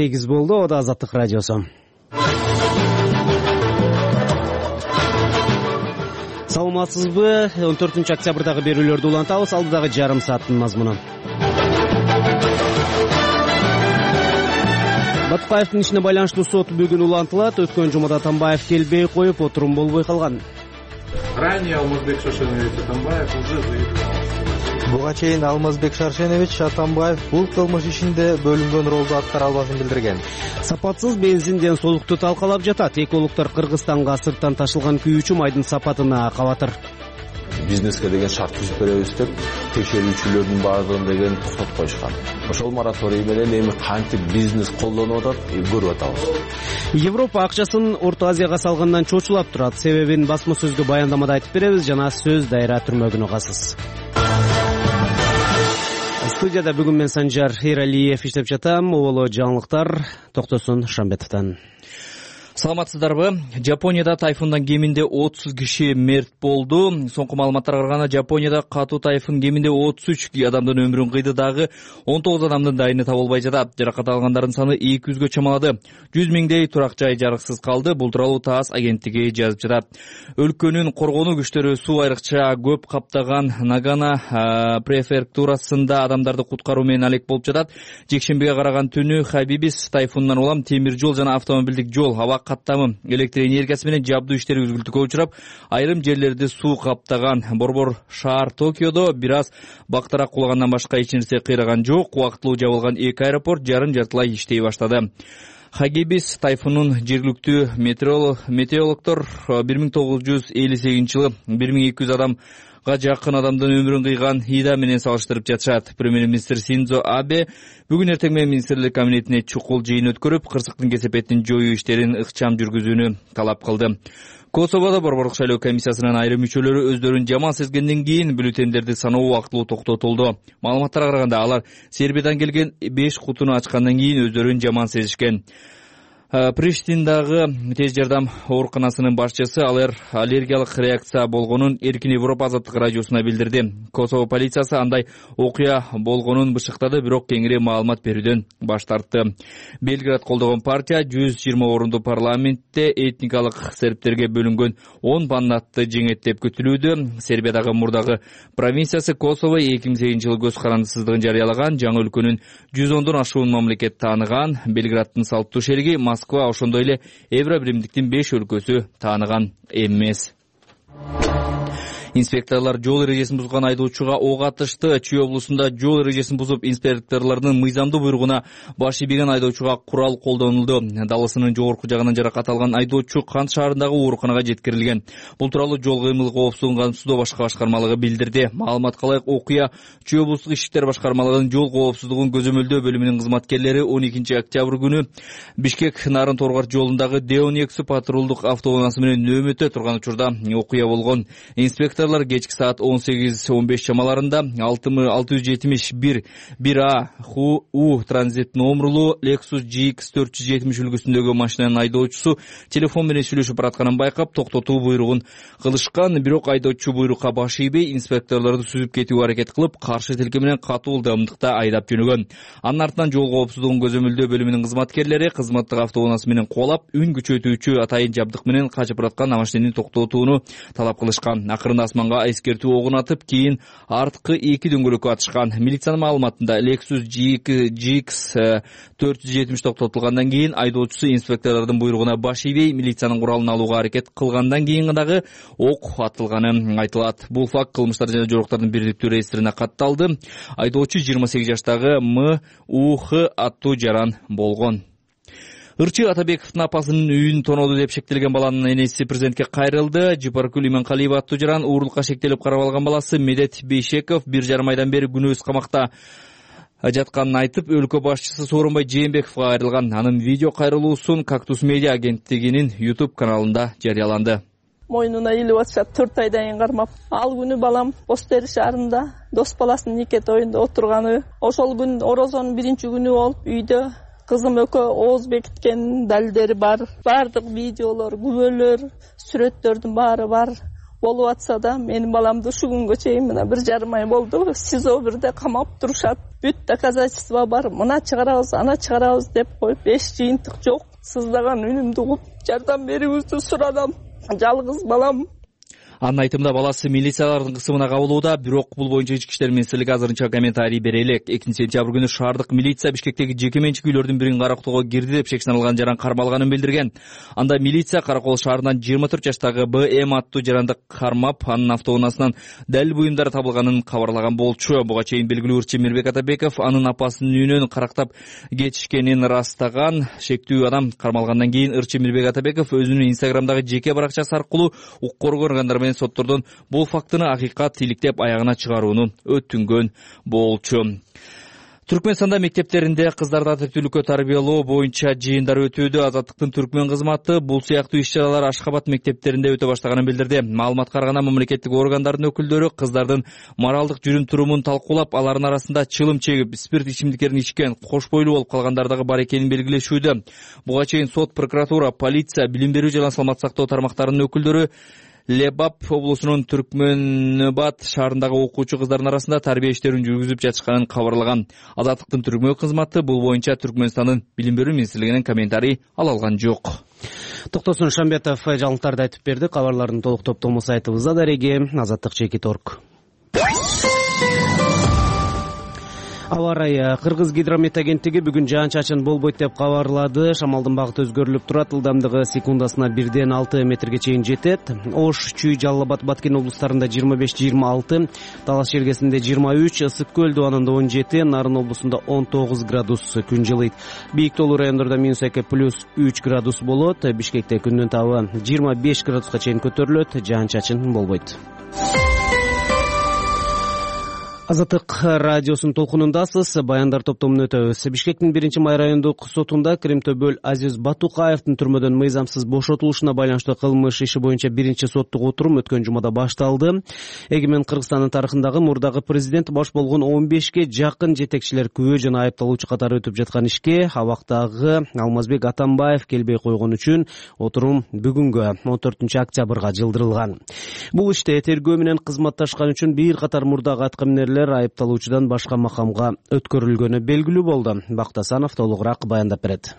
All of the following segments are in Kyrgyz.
8 болду. О да Азаттык радиосу. Саламатсызбы? 14 октябрдагы берүүлөрдү улантабыз. Алдыдагы жарым сааттын мазмуну. Баткаевдин ишине байланыштуу сот бүгүн улантылат. Өткөн жумада Атамбаев келбей коюп, отурум болбой калган. Ранее Алмазбек Шаршенович Атамбаев уже заявил. Буга чейин Алмазбек Шаршенович Атамбаев бул кылмыш ишинде бөлүнгөн ролду аткара албашын билдирген. Сапатсыз бензин ден солукту талкалап жатат. Экологдор Кыргызстанга сырттан ташылган күйүүчү майдын сапатына кабатыр. Бизнеске деген шарт түзүп беребиз деп текшерүүчүлөрдүн баардыгын деген токтотуп коюшкан. Ошол мораторий менен эми кантип бизнес колдонуп атат көрүп атабыз. Европа акчасын Орто Азияга салгандан чочулап турат. Себебин басма сөзгө баяндамада айтып беребиз. Жана сөз дайра түрмөгүн угасыз. Студияда бүгүн мен Санжар Эралиев иштеп жатам. Оболо жаңылыктар Токтосун Шамбетовдон. Саламатсыздарбы? Жапонияда тайфундан кеминде 30 киши мерт болду. Соңку маалыматтарга караганда Жапонияда катуу тайфун кеминде 33 адамдын өмүрүн кыйды, дагы 19 адамдын дайыны табылбай жатат. Жаракат алгандардын саны 200гө чамалады. 100 миңдей турак жай жарыксыз калды. Бул тууралуу ТАСС агенттиги жазып жатат. Өлкөнүн коргонуу күчтөрү суу айрыкча көп каптаган Нагана префектурасында адамдарды куткаруу менен алек болуп жатат. Жекшембиге караган түнү Хабибис тайфунунан улам темир жол жана автомобилдик жол, аба каттамы, электр энергиясы менен жабдуу иштери үзгүлтүккө учурап, айрым жерлерди суу каптаган. Борбор шаар Токиодо бир аз бактарак кулагандан башка эч нерсе кыйраган жок. Убактылуу жабылган эки аэропорт жарым-жартылай иштей баштады. Хагибис тайфунун жергиликтүү метеорологдор 1958-жылы 1200 адамга жакын адамдын өмүрүн кыйган Ида менен салыштырып жатышат. Премьер-министр Синдзо Абе бүгүн эртең менен министрлик кабинетине чукул жыйын өткөрүп, кырсыктын кесепетин жоюу иштерин ыкчам жүргүзүүнү талап кылды. Косоводо борборлук шайлоо комиссиясынын айрым мүчөлөрү өздөрүн жаман сезгенден кийин бюллетендерди саноо убактылуу токтотулду. Маалыматтарга караганда алар Сербиядан келген 5 кутуну ачкандан кийин өздөрүн жаман сезишкен. Приштиндагы тез жардам ооруканасынын башчысы аллергиялык реакция болгонун Эркин Европа азаттык радиосуна билдирди. Косово полициясы андай окуя болгонун бышыктады, бирок кеңири маалымат берүүдөн баш тартты. Белград колдогон партия 120 орунду парламентте этникалык сербтерге бөлүнгөн 10 мандатты жеңет деп күтүлүүдө. Сербиядагы мурдагы провинциясы Косово 2008-жылы көз карандысыздыгын жарыялаган, жаңы өлкөнүн 110дон ашуун мамлекет тааныган. Белграддын салттуу шериги Москва ошондой эле Евро биримдиктин 5 өлкөсү тааныган эмес. Инспекторлор жол эрежесин бузган айдоочуга ок атышты. Чүй облусунда жол эрежесин бузуп, инспекторлордун мыйзамдуу буйругуна баш ийбеген айдоочуга курал колдонулду. Далысынын жогорку жагынан жаракат алган айдоочу Кант шаарындагы ооруканага жеткирилген. Бул тууралуу жол кыймыл коопсуздугун камсыздоо башкы башкармалыгы билдирди. Маалыматка ылайык, окуя Чүй облустук иштер башкармалыгынын жол коопсуздугун көзөмөлдөө бөлүмүнүн кызматкерлери 12 октябрь күнү Бишкек Нарын Торгар жолундагы Деонексу патрулдук автоунаасы менен нөөмөттө турган учурда окуя болгон. Инспекторлор кечки саат 18-15 чамаларында 671 1А У транзит номерлуу Lexus GX 470 үлгүсүндөгү машинанын айдоочусу телефон менен сүйлөшүп баратканын байкап, токтотуу буйругун кылышкан. Бирок айдоочу буйрукка баш ийбей, инспекторлорду сүзүп кетүүгө аракет кылып, каршы тилке менен катуу ылдамдыкта айдап жөнөгөн. Анын артынан жол коопсуздугун көзөмөлдөө бөлүмүнүн кызматкерлери кызматтык автоунаасы менен кубалап, үн күчөтүүчү атайын жабдык менен качып бараткан машинени токтотууну талап кылышкан. Акырында асманга эскертүү огун атып, кийин арткы эки дөңгөлөккө атышкан. Милициянын маалыматында Lexus GX 470 токтотулгандан кийин айдоочусу инспекторлордун буйругуна баш ийбей, милициянын куралын алууга аракет кылгандан кийин дагы ок атылганы айтылат. Бул факт кылмыштар жана жоруктардын бирдиктүү реестрине катталды. Айдоочу 28 жаштагы МУХ аттуу жаран болгон. Ырчы Атабековдун апасынын үйүн тонооду деп шектелген баланын энеси президентке кайрылды. Жипаркүл Иманкалиева аттуу жаран уурулукка шектелип карап алган баласы Медет Бейшеков 1,5 айдан бери күнөөз камакта жатканын айтып, өлкө башчысы Сооронбай Жээнбековго кайрылган. Анын видео кайрылуусун Кактус медиа агенттигинин YouTube каналында жарыяланды. Мойнуна илип атышат 4 айдан кийин кармап. Ал күнү балам Бостери шаарында дос баласынын нике тоюнда отурганы. Ошол күн орозонун 1-күнү болуп, үйдө кызым экөө ооз бекиткен далилдери бар. Бардык видеолор, күбөлөр, сүрөттөрдүн баары бар. болуп атса да менин баламды ушул күнгө чейин мына 1,5 ай болду СИЗО бирде камап турушат. Бүт доказательства бар, мына чыгарабыз, ана чыгарабыз деп коюп, эч жыйынтык жок. Сыздаган үнүмдү угуп жардам берүүңүздү сурадым. Жалгыз балам. Анын айтымында баласы милициялардын кысымына кабылууда, бирок бул боюнча ички иштер министрлиги азырынча комментарий бере элек. 2-сентябрь күнү шаардык милиция Бишкектеги жеке менчик үйлөрдүн бирин карактоого кирди деп шек жаран кармалганын билдирген. Анда милиция Каракол шаарынан 24 жаштагы БМ аттуу жаранды кармап, анын автоунаасынан далил буюмдар табылганын кабарлаган болчу. Буга чейин белгилүү ырчы Мирбек Атабеков анын апасынын үйүнөн карактап кетишкенин ырастаган. Шектүү адам кармалгандан кийин ырчы Мирбек Атабеков өзүнүн Инстаграмдагы жеке баракчасы аркылуу укук коргоо органдары соттордон бул фактыны акыйкат иликтеп аягына чыгарууну өтүнгөн болчу. Түркмөнстанда мектептеринде кыздарды адептүүлүккө тарбиялоо боюнча жыйындар өтүүдө. Азаттыктын түркмөн кызматы бул сыяктуу иш-чаралар Ашхабад мектептеринде өтө баштаганын билдирди. Маалыматка караганда мамлекеттик органдардын өкүлдөрү кыздардын моралдык жүрүм-турумун талкуулап, алардын арасында чылым чегип, спирт ичимдиктерин ичкен, кош бойлуу болуп калгандар дагы бар экенин белгилешүүдө. Буга чейин сот, прокуратура, полиция, билим берүү жана саламат сактоо тармактарынын өкүлдөрү Лебап облусунун Түркмөнбат шаарындагы окуучу кыздардын арасында тарбия иштерин жүргүзүп жатышканын кабарлаган. Азаттыктын түркмөн кызматы бул боюнча Түркмөнстандын билим берүү министрлигинен комментарий ала алган жок. Токтосун Шамбетов жаңылыктарды айтып берди. Кабарлардын толук топтому сайтыбызда дареги azattik.org. Аба ырайы. Кыргыз гидромет агенттиги бүгүн жаан-чачын болбойт деп кабарлады. Шамалдын багыты өзгөрүлүп турат. Ылдамдыгы секундасына 1-6 метрге чейин жетет. Ош, Чүй, Жалал Абад, Баткен облустарында 25-26, Талас жергесинде 23, Ысык көл дубанында 17, Нарын облусунда 19 градус күн жылыйт. Бийик тоолуу райондордо -2 +3 градус болот. Бишкекте күндүн табы 25 градуска чейин көтөрүлөт. Жаан-чачын болбойт. Азаттык радиосунун толкунундасыз. Баяндар топтомун өтөбүз. Бишкектин 1-май райондук сотунда Кремтөбөл Азиз Батукаевдин түрмөдөн мыйзамсыз бошотулушуна байланыштуу кылмыш иши боюнча 1-соттук отурум өткөн жумада башталды. Эгемен Кыргызстандын тарыхындагы мурдагы президент баш болгон 15ке жакын жетекчилер күбө жана айыпталуучу катары өтүп жаткан ишке абактагы Алмазбек Атамбаев келбей койгон үчүн отурум бүгүнгө 14 октябрга жылдырылган. Бул иште тергөө менен кызматташкан үчүн бир катар мурдагы аткаминерлер айыпталуучудан башка макамга өткөрүлгөнү белгилүү болду. Бактасанов толугураак баяндап берет.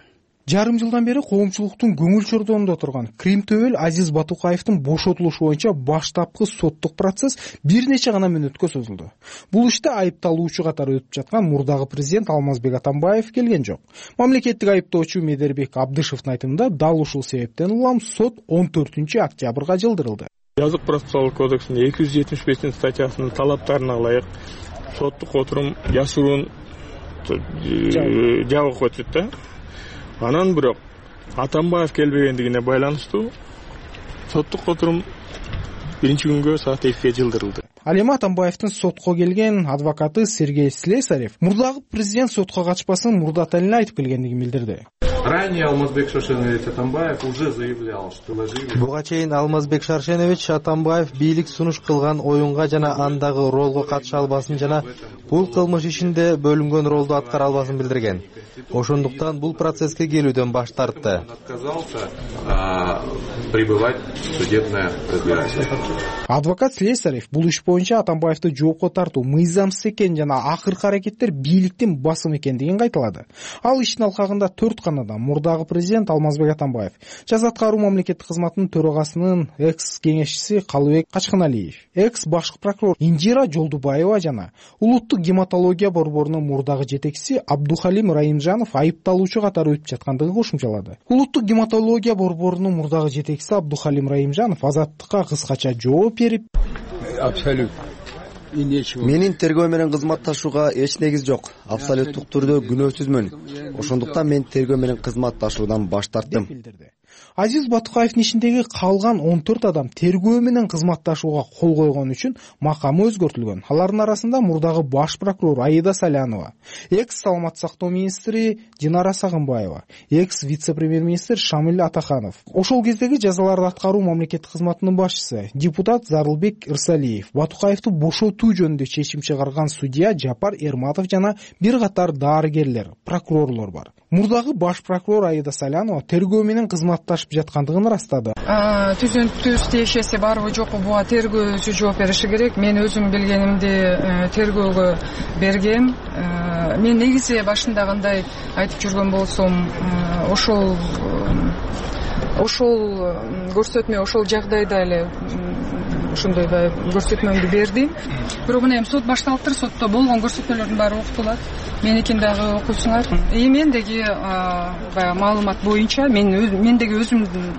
Жарым жылдан бери коомчулуктун көңүл чордонунда турган Кремтөбөл Азиз Батукаевдин бошотулушу боюнча баштапкы соттук процесс бир нече гана мүнөткө созулду. Бул иште айыпталуучу катары өтүп жаткан мурдагы президент Алмазбек Атамбаев келген жок. Мамлекеттик айыптоочу Медербек Абдышевдин айтымында дал ушул себептен улам сот 14 октябрга жылдырылды. Жазык процессуалдык кодексинин 275 статьясынын талаптарына ылайык соттук отурум жашыруун жабык өтүт да. Анан бирок Атамбаев келбегендигине байланыштуу соттук отурум 1-күнгө саат 2ге жылдырылды. Ал эми Атамбаевдин сотко келген адвокаты Сергей Слесарев мурдагы президент сотко качпасын мурдата эле айтып келгендигин билдирди. Ранее Алмазбек Шаршенович Атамбаев уже заявлял, что ложили. Буга чейин Алмазбек Шаршенович Атамбаев бийлик сунуш кылган оюнга жана андагы ролго катыша албасын жана бул кылмыш ишинде бөлүнгөн ролду аткара албасын билдирген. Ошондуктан бул процесске келүүдөн баш тартты. Отказался пребывать в судебное разбирательство. Адвокат Слесарев бул иш боюнча Атамбаевди жоопко тартуу мыйзамсыз экенин жана акыркы аракеттер бийликтин басымы экендигин кайталады. Ал иштин алкагында 4 канадан мурдагы президент Алмазбек Атамбаев, жаза аткаруу мамлекеттик кызматынын төрагасынын экс-кеңешчиси Калыбек Качканалиев, экс-башкы прокурор Инжира Жолдубаева жана улуттук гематология борборунун мурдагы жетекчиси Абдухалим Раимжанов айыпталуучу катары өтүп жаткандыгын кошумчалады. Улуттук гематология борборунун мурдагы жетекчиси Абдухалим Раимжанов азаттыкка кыскача жооп берип, абсолютно менин тергөө менен кызматташууга эч негиз жок. Абсолюттук түрдө күнөөсүзмүн. Ошондуктан мен тергөө менен кызматташуудан баш тарттым. Азиз Батукаевдин ишиндеги калган 14 адам тергөө менен кызматташууга кол койгон үчүн макамы өзгөртүлгөн. Алардын арасында мурдагы баш прокурор Аида Салянова, экс-саламат сактоо министри Динара Сагынбаева, экс-вице-премьер-министр Шамил Атаханов, ошол кездеги жазаларды аткаруу мамлекеттик кызматынын башчысы депутат Зарылбек Ирсалиев, Батукаевди бошотуу жөнүндө чечим чыгарган судья Жапар Эрматов жана бир катар дарыгерлер, прокурорлор бар. Мурдагы баш прокурор Аида Салянова тергөө менен кызмат кымбатташып жаткандыгын ырастады. Түзүнтүс тиешеси барбы жокпу буга тергөөчү жооп бериши керек. Мен өзүм билгенимди тергөөгө бергем. Мен негизи башында кандай айтып жүргөн болсом, ошол көрсөтмө ошол жагдайда эле ошондой көрсөтмөмдү бердим. Бирок мына эми сот башталыптыр, сотто болгон көрсөтмөлөрдүн баары окутулат. Меникин дагы окуйсуңар. Мендеги баягы маалымат боюнча, мендеги өзүмдүн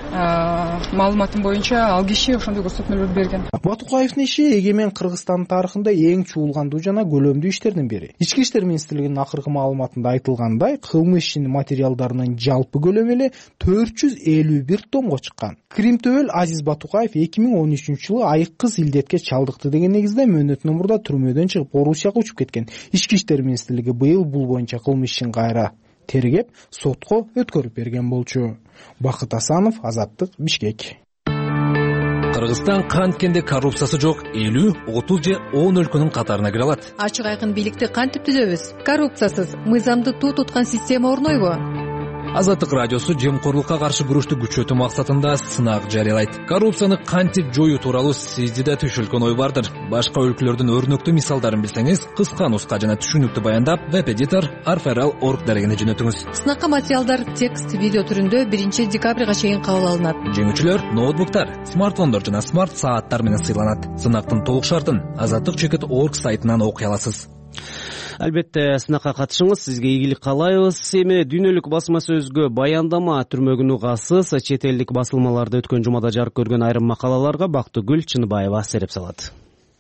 маалыматым боюнча ал киши ошондой көрсөтмөлөрдү берген. Батукаевдин иши эгемен Кыргызстан тарыхында эң чуулгандуу жана көлөмдүү иштердин бири. Ички иштер министрлигинин акыркы маалыматында айтылгандай, кылмыш ишинин материалдарынын жалпы көлөмү эле 451 томго чыккан. Кримтөбөл Азиз Батукаев 2013-жылы айыккыз илдетке чалдыкты деген негизде мөөнөтүнөн мурда түрмөдөн чыгып Орусияга учуп кеткен. Ички иштер министрлиги быйыл бул боюнча кылмыш ишин кайра тергеп, сотко өткөрүп берген болчу. Бакыт Асанов, Азаттык, Бишкек. Кыргызстан канткенде коррупциясы жок 50, 30 же 10 өлкөнүн катарына кире алат. Ачык айкын бийликти кантип түзөбүз? Коррупциясыз, мыйзамды туу туткан система орнойбу? Азаттык радиосу жемкорлукка каршы күрөштү күчөтүү максатында сынак жарыялайт. Коррупцияны кантип жоюу тууралуу сизде да түшүлгөн ой бардыр. Башка өлкөлөрдүн өрнөктүү мисалдарын билсеңиз, кыска нуска жана түшүнүктүү баяндап, веб-эдитор arferal.org дарегине жөнөтүңүз. Сынакка материалдар текст, видео түрүндө 1 декабрга чейин кабыл алынат. Жеңүүчүлөр ноутбуктар, смартфондор жана смарт сааттар менен сыйланат. Сынактын толук шартын azattik.org сайтынан окуй аласыз. Албетте, сынакка катышыңыз, сизге ийгилик каалайбыз. Эми дүйнөлүк басма сөзгө баяндама түрмөгүн угасыз, чет элдик басылмаларда өткөн жумада жарык көргөн айрым макалаларга Бактыгүл Чыныбаева сереп салат.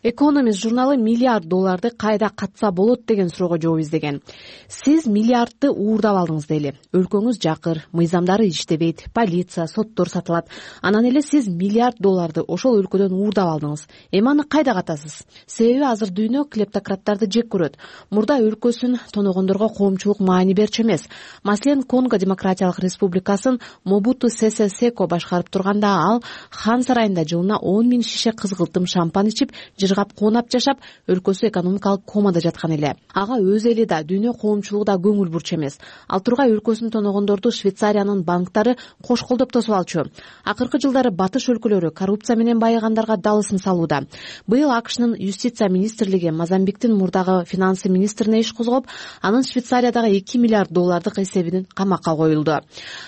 Экономист журналы $1 кайда катса болот деген суроого жооп издеген. Сиз миллиардты уурдап алдыңыз дейли. Өлкөңүз жакыр, мыйзамдары иштебейт, полиция, соттор сатылат. Анан эле сиз $1 ошол өлкөдөн уурдап алдыңыз. Эми аны кайда катасыз? Себеби азыр дүйнө клептократтарды жек көрөт. Мурда өлкөсүн тоногондорго коомчулук маани берчү эмес. Маселен, Конго Демократиялык Республикасын Мобуту Сесе Секо башкарып турганда ал хан сарайында жылына 10,000 шише кызгылтым шампан ичип, жыргап коонап жашап, өлкөсү экономикалык комада жаткан эле. Ага өз эли да, дүйнө коомчулугу да көңүл бурчу эмес. Ал тургай өлкөсүн тоногондорду Швейцариянын банктары кош колдоп тосуп алчу. Акыркы жылдары батыш өлкөлөрү коррупция менен байыгандарга далысын салууда. Быйыл АКШнын юстиция министрлиги Мозамбиктин мурдагы финансы министрине иш козгоп, анын Швейцариядагы $2 миллиард эсебинин камакка коюлду.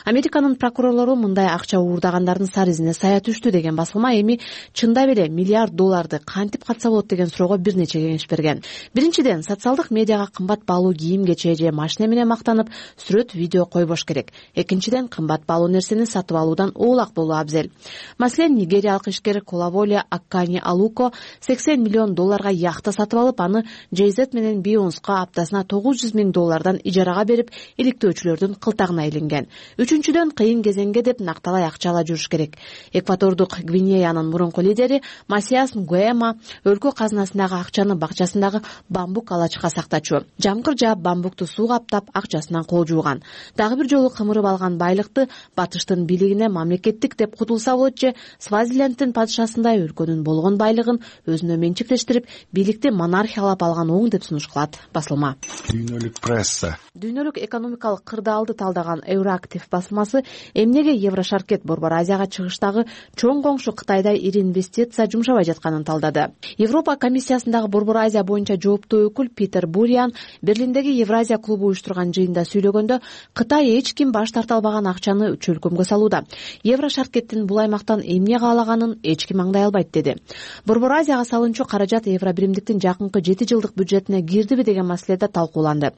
Американын прокурорлору мындай акча уурдагандардын сары изине сая түштү деген басылма эми чындап эле $1 миллиард кантип катса болот деген суроого бир нече кеңеш берген. Биринчиден, социалдык медиага кымбат баалуу кийим кече же машина менен мактанып, сүрөт, видео койбош керек. Экинчиден, кымбат баалуу нерсени сатып алуудан оолак болуу абзел. Маселен, нигериялык ишкер Колаволе Аккани Алуко $80 миллион яхта сатып алып, аны JZ менен Бейонска аптасына $900 миң ижарага берип, иликтөөчүлөрдүн кылтагына илинген. Үчүнчүдөн, кыйын кезеңге деп накталай акча ала жүрүш керек. Экватордук Гвинеянын мурунку лидери Масиас Нгуэма өлкө казынасындагы акчаны бакчасындагы бамбук алачка сактачу. Жамгыр жаап, бамбукту суу каптап, акчасынан кол жууган. Дагы бир жолу кымырып алган байлыкты батыштын бийлигине мамлекеттик деп кутулса болот же Свазилендтин падышасындай өлкөнүн болгон байлыгын өзүнө менчиктештирип, бийликти монархиялап алган оң деп сунуш кылат басылма. Дүйнөлүк пресса. Дүйнөлүк экономикалык кырдаалды талдаган Euroactiv басылмасы эмнеге Еврошаркет Борбор Азияга чыгыштагы чоң коңшу Кытайда ири инвестиция жумшабай жатканын талдады. Европа комиссиясындагы Борбор Азия боюнча жооптуу өкүл Питер Буриан Берлиндеги Евразия клубу уюштурган жыйында сүйлөгөндө, Кытай эч ким баш тарта албаган акчаны чөлкөмгө салууда. Еврошаркеттин бул аймактан эмне каалаганын эч ким аңдай албайт деди. Борбор Азияга салынчу каражат Евробиримдиктин жакынкы 7 жылдык бюджетине кирдиби деген маселеде талкууланды.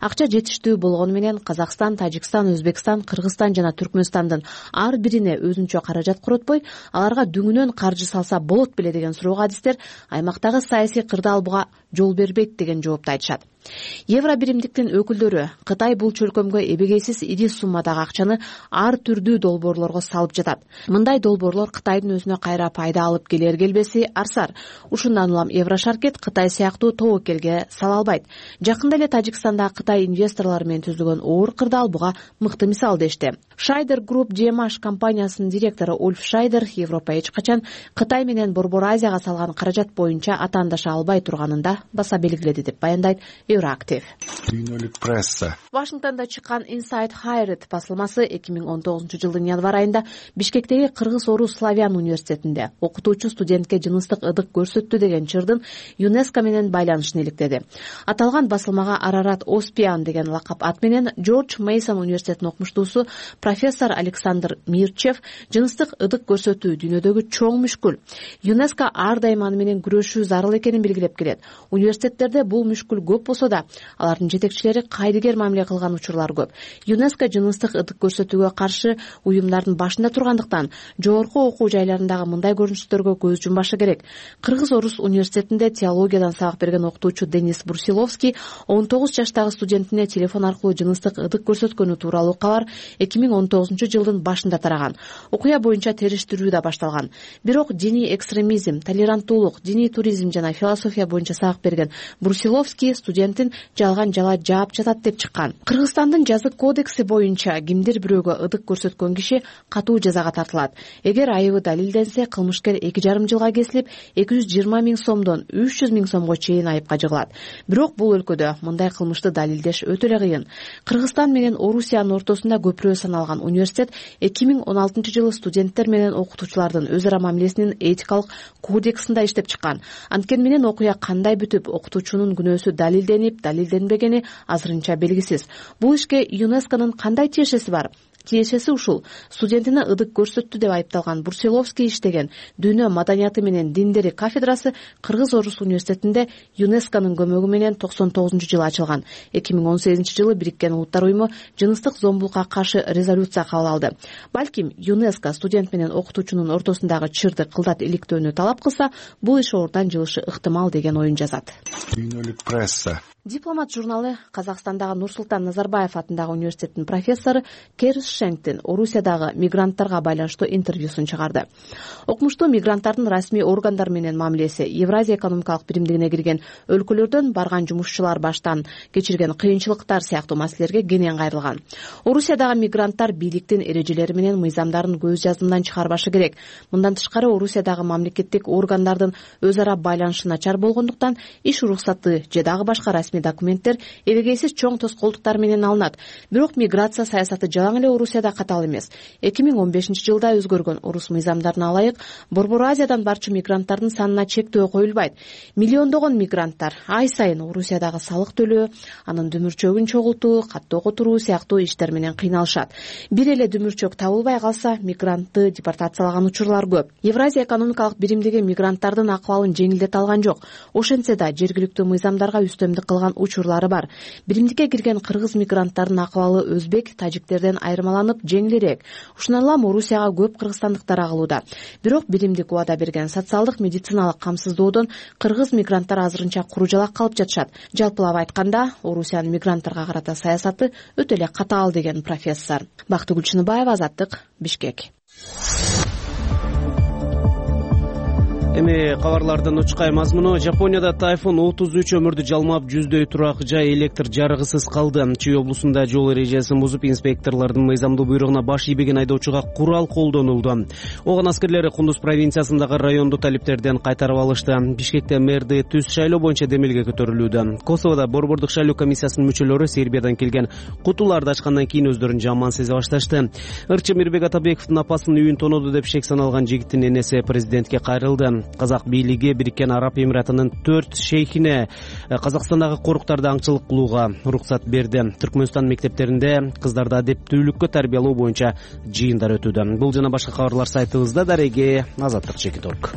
Акча жетиштүү болгону менен Казакстан, Тажикстан, Өзбекстан, Кыргызстан жана Түркмөнстандын ар бирине өзүнчө каражат коротпой, аларга дүңүнөн каржы салса болот беле деген суроого адистер аймактагы саясий кырдаал буга жол бербейт деген жоопту айтышат. Евробиримдиктин өкүлдөрү Кытай бул чөлкөмгө эбегейсиз ири суммадагы акчаны ар түрдүү долбоорлорго салып жатат. Мындай долбоорлор Кытайдын өзүнө кайра пайда алып келер келбеси арсар. Ушундан улам Еврошаркет Кытай сыяктуу тобокелге сала албайт. Жакында эле Тажикстанда Кытай инвесторлору менен түзүлгөн оор кырдаал буга мыкты мисал дешти. Шайдер Групп GMH компаниясынын директору Ульф Шайдер Европа эч качан Кытай менен Борбор Азияга салган каражат боюнча атаандаша албай турганын да баса белгиледи деп баяндайт Euractiv. Дүйнөлүк пресса. Вашингтондо чыккан Inside Higher басылмасы 2019-жылдын январ айында Бишкектеги кыргыз-орус славян университетинде окутуучу студентке жыныстык ыдык көрсөттү деген чырдын ЮНЕСКО менен байланышын иликтеди. Аталган басылмага Арарат Оспиан деген лакап ат менен Джордж Мейсон университетинин окумуштуусу профессор Александр Мирчев жыныстык ыдык көрсөтүү дүйнөдөгү чоң мүшкүл. ЮНЕСКО ар дайым аны менен күрөшүү зарыл экенин белгилеп келет. Университеттерде бул мүшкүл көп болсо да, алардын жетекчилери кайдыгер мамиле кылган учурлар көп. ЮНЕСКО жыныстык ыдык көрсөтүүгө каршы уюмдардын башында тургандыктан жогорку окуу жайларындагы мындай көрүнүштөргө көз жумбашы керек. Кыргыз-орус университетинде теологиядан сабак берген окутуучу Денис Брусиловский 19 жаштагы студентине телефон аркылуу жыныстык ыдык көрсөткөнү тууралуу кабар 2019-жылдын башында тараган. Окуя боюнча териштирүү да башталган. Бирок диний экстремизм, толеранттуулук, диний туризм жана философия боюнча сабак берген Брусиловский студентин жалган жала жаап жатат деп чыккан. Кыргызстандын жазык кодекси боюнча кимдир бирөөгө ыдык көрсөткөн киши катуу жазага тартылат. Эгер айыбы далилденсе, кылмышкер 2,5 жылга кесилип, 220 000 сомдон 300 000 сомго чейин айыпка жыгылат. Бирок бул өлкөдө мындай кылмышты далилдеш өтө эле кыйын. Кыргызстан менен Орусиянын ортосунда көпүрө саналган университет 2016-жылы студенттер менен окутуучулардын өз ара мамилесинин этикалык кодексинде иштеп чыккан. Анткени менен окуя кандай бүтүп, окутуучунун күнөөсү далилденип, далилденбегени азырынча белгисиз. Бул ишке ЮНЕСКОнун кандай тиешеси бар? Тиешеси ушул. Студентине ыдык көрсөттү деп айыпталган Брусиловский иштеген дүйнө маданияты менен диндери кафедрасы Кыргыз-Орус университетинде ЮНЕСКОнун көмөгү менен 99-жылы ачылган. 2018-жылы Бириккен Улуттар уюму жыныстык зомбулукка каршы резолюция кабыл алды. Балким ЮНЕСКО студент менен окутуучунун ортосундагы чырды кылдат иликтөөнү талап кылса, бул иш ордон жылышы ыктымал деген оюн жазат. Дүйнөлүк пресса. Дипломат журналы Казакстандагы Нурсултан Назарбаев атындагы университеттин профессору Керс Шенктин Орусиядагы мигранттарга байланыштуу интервьюсун чыгарды. Окумуштуу мигранттардын расмий органдар менен мамилеси Евразия экономикалык биримдигине кирген өлкөлөрдөн барган жумушчулар баштан кечирген кыйынчылыктар сыяктуу маселелерге кенен кайрылган. Орусиядагы мигранттар бийликтин эрежелери менен мыйзамдарын көз жазымдан чыгарбашы керек. Мындан тышкары Орусиядагы мамлекеттик органдардын өз ара байланышы начар болгондуктан иш уруксаты же дагы башка расмий документтер эбегейсиз чоң тоскоолдуктар менен алынат. Бирок миграция саясаты жалаң эле Орусияда катал эмес. 2015-жылда өзгөргөн орус мыйзамдарына ылайык Борбор Азиядан барчу мигранттардын санына чектөө коюлбайт. Миллиондогон мигранттар ай сайын Орусиядагы салык төлөө, анын дүмүрчөгүн чогултуу, каттоо которуу сыяктуу иштер менен кыйналышат. Бир эле дүмүрчөк табылбай калса, мигрантты депортациялаган учурлар көп. Евразия экономикалык биримдиги мигранттардын акыбалын жеңилдете алган жок. Ошентсе да жергиликтүү мыйзамдарга үстөмдүк кылган учурлары бар. Биримдикке кирген кыргыз мигранттардын акыбалы өзбек, тажиктерден айырмаланып жеңилирээк. Ушундан улам Орусияга көп кыргызстандыктар агылууда. Бирок биримдик убада берген социалдык медициналык камсыздоодон кыргыз мигранттар азырынча куру жалак калып жатышат. Жалпылап айтканда, Орусиянын мигранттарга карата саясаты өтө эле катаал деген профессор. Бактыгүл Чыныбаева, Азаттык, Бишкек. Эми кабарлардын учкай мазмуну. Жапонияда тайфун 33 өмүрдү жалмап, жүздөй турак жай электр жарыгысыз калды. Чүй облусунда жол эрежесин бузуп, инспекторлордун мыйзамдуу буйругуна баш ийбеген айдоочуга курал колдонулду. Оган аскерлери Кундуз провинциясындагы районду талиптерден кайтарып алышты. Бишкекте мэрди түз шайлоо боюнча демилге көтөрүлүүдө. Косоводо борбордук шайлоо комиссиясынын мүчөлөрү Сербиядан келген кутуларды ачкандан кийин өздөрүн жаман сезе башташты. Ырчы Мирбек Атабековдун апасынын үйүн тоноду деп шек саналган жигиттин энеси президентке кайрылды. Казак бийлиги Бириккен Араб Эмиратынын 4 шейхине Казакстандагы коруктарды аңчылык кылууга уруксат берди. Түркмөнстан мектептеринде кыздарды адептүүлүккө тарбиялоо боюнча жыйындар өтүүдө. Бул жана башка кабарлар сайтыбызда. Дареге Азаттык Чекиторг.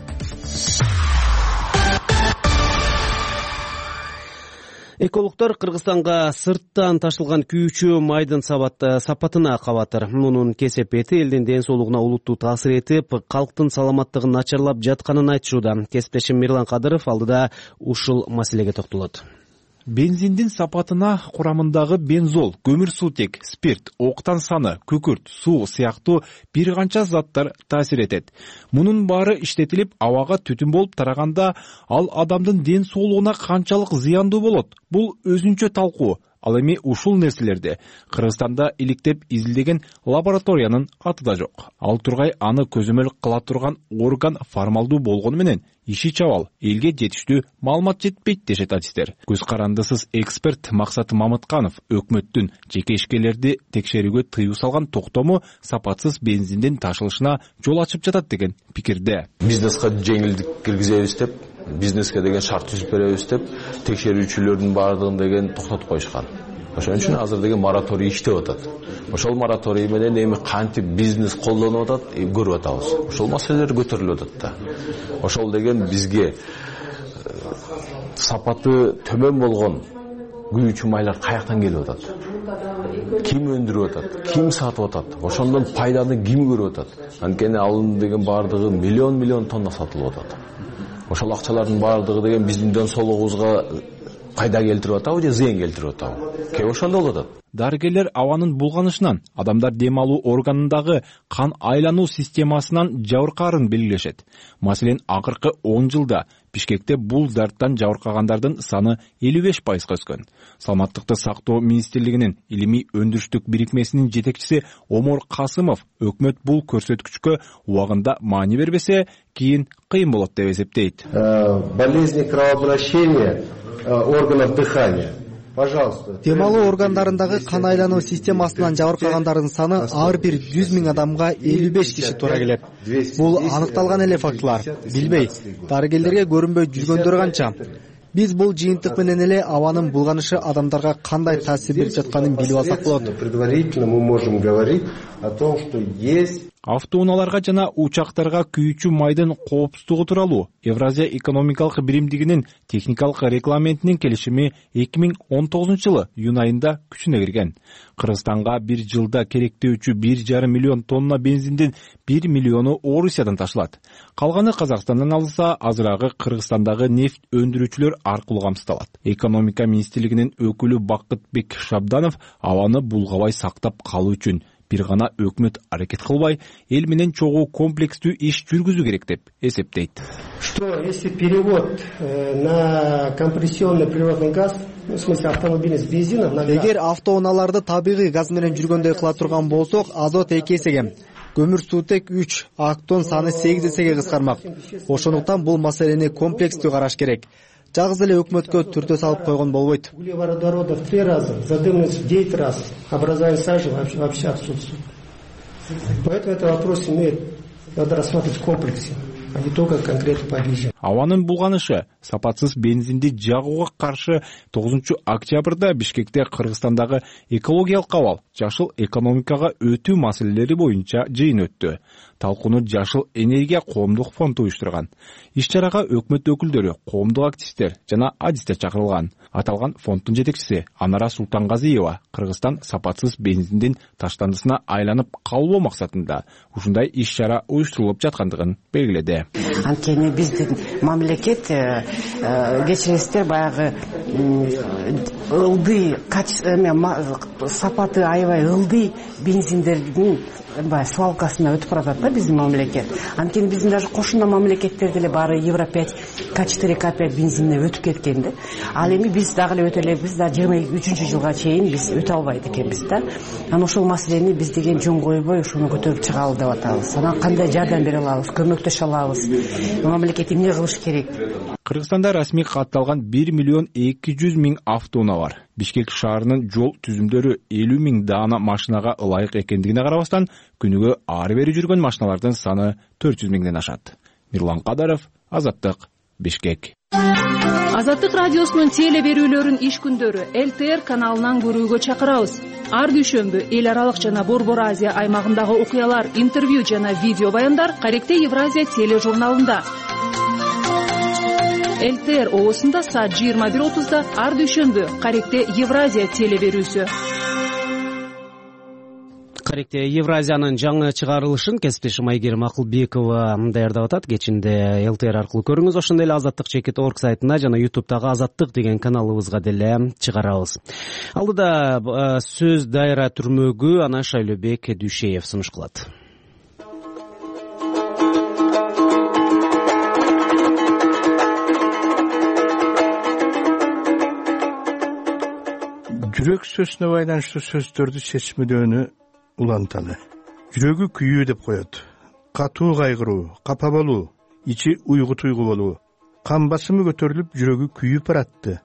Экологдор Кыргызстанга сырттан ташылган күйүүчү майдын сапатына кабатыр. Мунун кесепети элдин ден соолугуна олуттуу таасир этип, калктын саламаттыгын начарлап жатканын айтышууда. Кесиптешим Мирлан Кадыров алдыда ушул маселеге токтолот. Бензиндин сапатына курамындагы бензол, көмүрсутек, спирт, октан саны, күкүрт, суу сыяктуу бир канча заттар таасир этет. Мунун баары иштетилип, абага түтүн болуп тараганда, ал адамдын ден соолугуна канчалык зыяндуу болот? Бул өзүнчө талкуу. Ал эми ушул нерселерди Кыргызстанда иликтеп изилдеген лабораториянын аты да жок. Ал тургай аны көзөмөл кыла турган орган формалдуу болгону менен иши чабал, элге жетиштүү маалымат жетпейт дешет адистер. Көз карандысыз эксперт Максат Мамытканов өкмөттүн жеке ишкерлерди текшерүүгө тыюу салган токтому сапатсыз бензиндин ташылышына жол ачып жатат деген пикирде. Бизнеске жеңилдик киргизебиз деп, бизнеске деген шарт түзүп беребиз деп, текшерүүчүлөрдүн баардыгын деген токтотуп коюшкан. Ошон үчүн азыр деген мораторий иштеп атат. Ошол мораторий менен эми кантип бизнес колдонуп атат, көрүп атабыз. Ошол маселелер көтөрүлүп атат да. Ошол деген бизге сапаты төмөн болгон күйүүчү майлар каяктан келип атат? Ким өндүрүп атат? Ким сатып атат? Ошондон пайданы ким көрүп атат? Анткени алын деген баардыгы миллион тонна сатылып атат. Ошол акчалардын баардыгы деген биздин ден соолугубузга пайда келтирип атабы же зыян келтирип атабы? Кээ ошондо болот. Дарыгерлер абанын булганышынан, адамдар дем алуу органындагы кан айлануу системасынан жабыркаарын белгилешет. Маселен, акыркы 10 жылда Бишкекте бул дарттан жабыркагандардын саны 55%га өскөн. Саламаттыкты сактоо министрлигинин илимий өндүрүштүк бирикмесинин жетекчиси Омор Касымов өкмөт бул көрсөткүчкө убагында маани бербесе, кийин кыйын болот деп эсептейт. Болезни кровообращения органов дыхания. Пожалуйста. Дем алуу органдарындагы кан айлануу системасынан жабыркагандардын саны ар бир 100 000 адамга 55 киши туура келет. Бул аныкталган эле фактылар. Билбей, дарыгерлерге көрүнбөй жүргөндөр канча? Биз бул жыйынтык менен эле абанын булганышы адамдарга кандай таасир берип жатканын билип алсак болот. Предварительно мы можем говорить о том, что есть Автоунааларга жана учактарга күйүүчү майдын коопсуздугу тууралуу Евразия экономикалык биримдигинин техникалык регламентинин келишими 2019-жылы июнь айында күчүнө кирген. Кыргызстанга бир жылда керектөөчү 1,5 миллион тонна бензиндин 1 миллиону Орусиядан ташылат. Калганы Казакстандан алынса, азырагы Кыргызстандагы нефть өндүрүүчүлөр аркылуу камсыздалат. Экономика министрлигинин өкүлү Бакытбек Шабданов абаны булгабай сактап калуу үчүн бир гана өкмөт аракет кылбай, эл менен чогуу комплекстүү иш жүргүзүү керек деп эсептейт. Что если перевод на компрессионный природный газ, в смысле автомобиль с бензином на газ? Эгер автоунааларды табигый газ менен жүргөндөй кыла турган болсок, азот 2 эсеге, көмүрсутек 3, актон саны 8 эсеге кыскармак. Ошондуктан бул маселени комплекстүү караш керек. Жалгыз эле өкмөткө түртө салып койгон болбойт. Углеводорода в 3 раза, задымность в 9 раз, образование сажи вообще отсутствует. Поэтому этот вопрос надо рассматривать в комплексе, а не только конкретно по бензину. Абанын булганышы сапатсыз бензинди жагууга каршы 9 октябрда Бишкекте Кыргызстандагы экологиялык абал, жашыл экономикага өтүү маселелери боюнча жыйын өттү. Талкууну Жашыл энергия коомдук фонду уюштурган. Иш-чарага өкмөт өкүлдөрү, коомдук активисттер жана адистер чакырылган. Аталган фонддун жетекчиси Анара Султангазиева Кыргызстан сапатсыз бензиндин таштандысына айланып калбоо максатында ушундай иш-чара уюштурулуп жаткандыгын белгиледи. Анткени биздин мамлекет кечириңиздер баягы ылдый сапаты аябай ылдый бензиндердин свалкасына өтүп баратат да биздин мамлекет. Анткени биздин даже кошуна мамлекеттер деле баары Евро 5, К4, К5 бензинине өтүп кеткен да. Ал эми биз дагы эле өтө элек, биз да 23-жылга чейин биз өтө албайт экенбиз да. Анан ошол маселени биз деген жөн койбой ушуну көтөрүп чыгалы деп атабыз. Анан кандай жардам бере алабыз, көмөктөшө алабыз? Мамлекет эмне кылыш керек? Кыргызстанда расмий катталган 1 миллион 200 000 автоунаа бар. Бишкек шаарынын жол түзүмдөрү 50 000 даана машинага ылайык экендигине карабастан, күнүгө ары бери жүргөн машиналардын саны 400 000ден ашат. Мирлан Кадаров, Азаттык, Бишкек. Азаттык радиосунун теле берүүлөрүн иш күндөрү ЛТР каналынан көрүүгө чакырабыз. Ар дүйшөмбү эл аралык жана Борбор Азия аймагындагы окуялар, интервью жана видео баяндар Каректе Евразия тележурналында. ЛТР оосунда саат 21:30 ар дүйшөмбү Каректе Евразия теле берүүсү. Каректе Евразиянын жаңы чыгарылышын кесиптешим Айгерим Акылбекова даярдап атат. Кечинде ЛТР аркылуу көрүңүз. Ошондой эле Азаттык.org сайтына жана YouTube'дагы Азаттык деген каналыбызга деле чыгарабыз. Алдыда сөз дайра түрмөгү ана Шайлообек Дүйшеев сунуш кылат. жүрөк сөзүнө байланыштуу сөздөрдү чечмедөөөнү уланталы. Жүрөгү күйүү деп коет. Катуу кайгыруу, капа болуу, ичи уйгу туйгу болуу. Кан басымы көтөрүлүп жүрөгү күйүп баратты.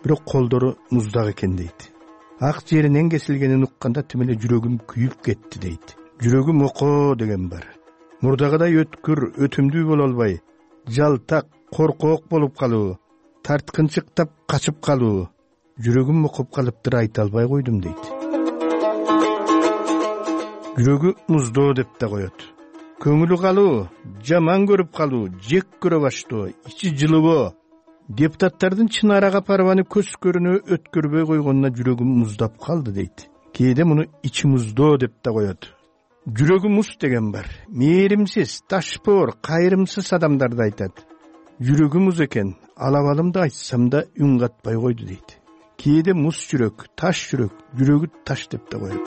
Бирок колдору муздак экен дейт. Ак жеринен кесилгенин укканда тим эле жүрөгүм күйүп кетти дейт. Жүрөгүм окоо деген бар. Мурдагыдай өткүр, өтүмдүү боло албай, жалтак, коркоок болуп калуу, тарткынчыктап качып калуу. Жүрөгүм окуп калыптыр, айта албай койдум дейт. Жүрөгү муздоо деп да коет. Көңүлү калуу, жаман көрүп калуу, жек көрө баштоо, ичи жылыбоо. Депутаттардын чын арага парбаны көз көрүнө өткөрбөй койгонуна жүрөгүм муздап калды дейт. Кээде муну ичи муздоо деп да коет. Жүрөгү муз деген бар. Мээримсиз, ташпоор, кайрымсыз адамдарды айтат. Жүрөгү муз экен, алабалымды айтсам да үн катпай койду дейт. Кээде муз жүрөк, таш жүрөк, жүрөгү таш деп да коет.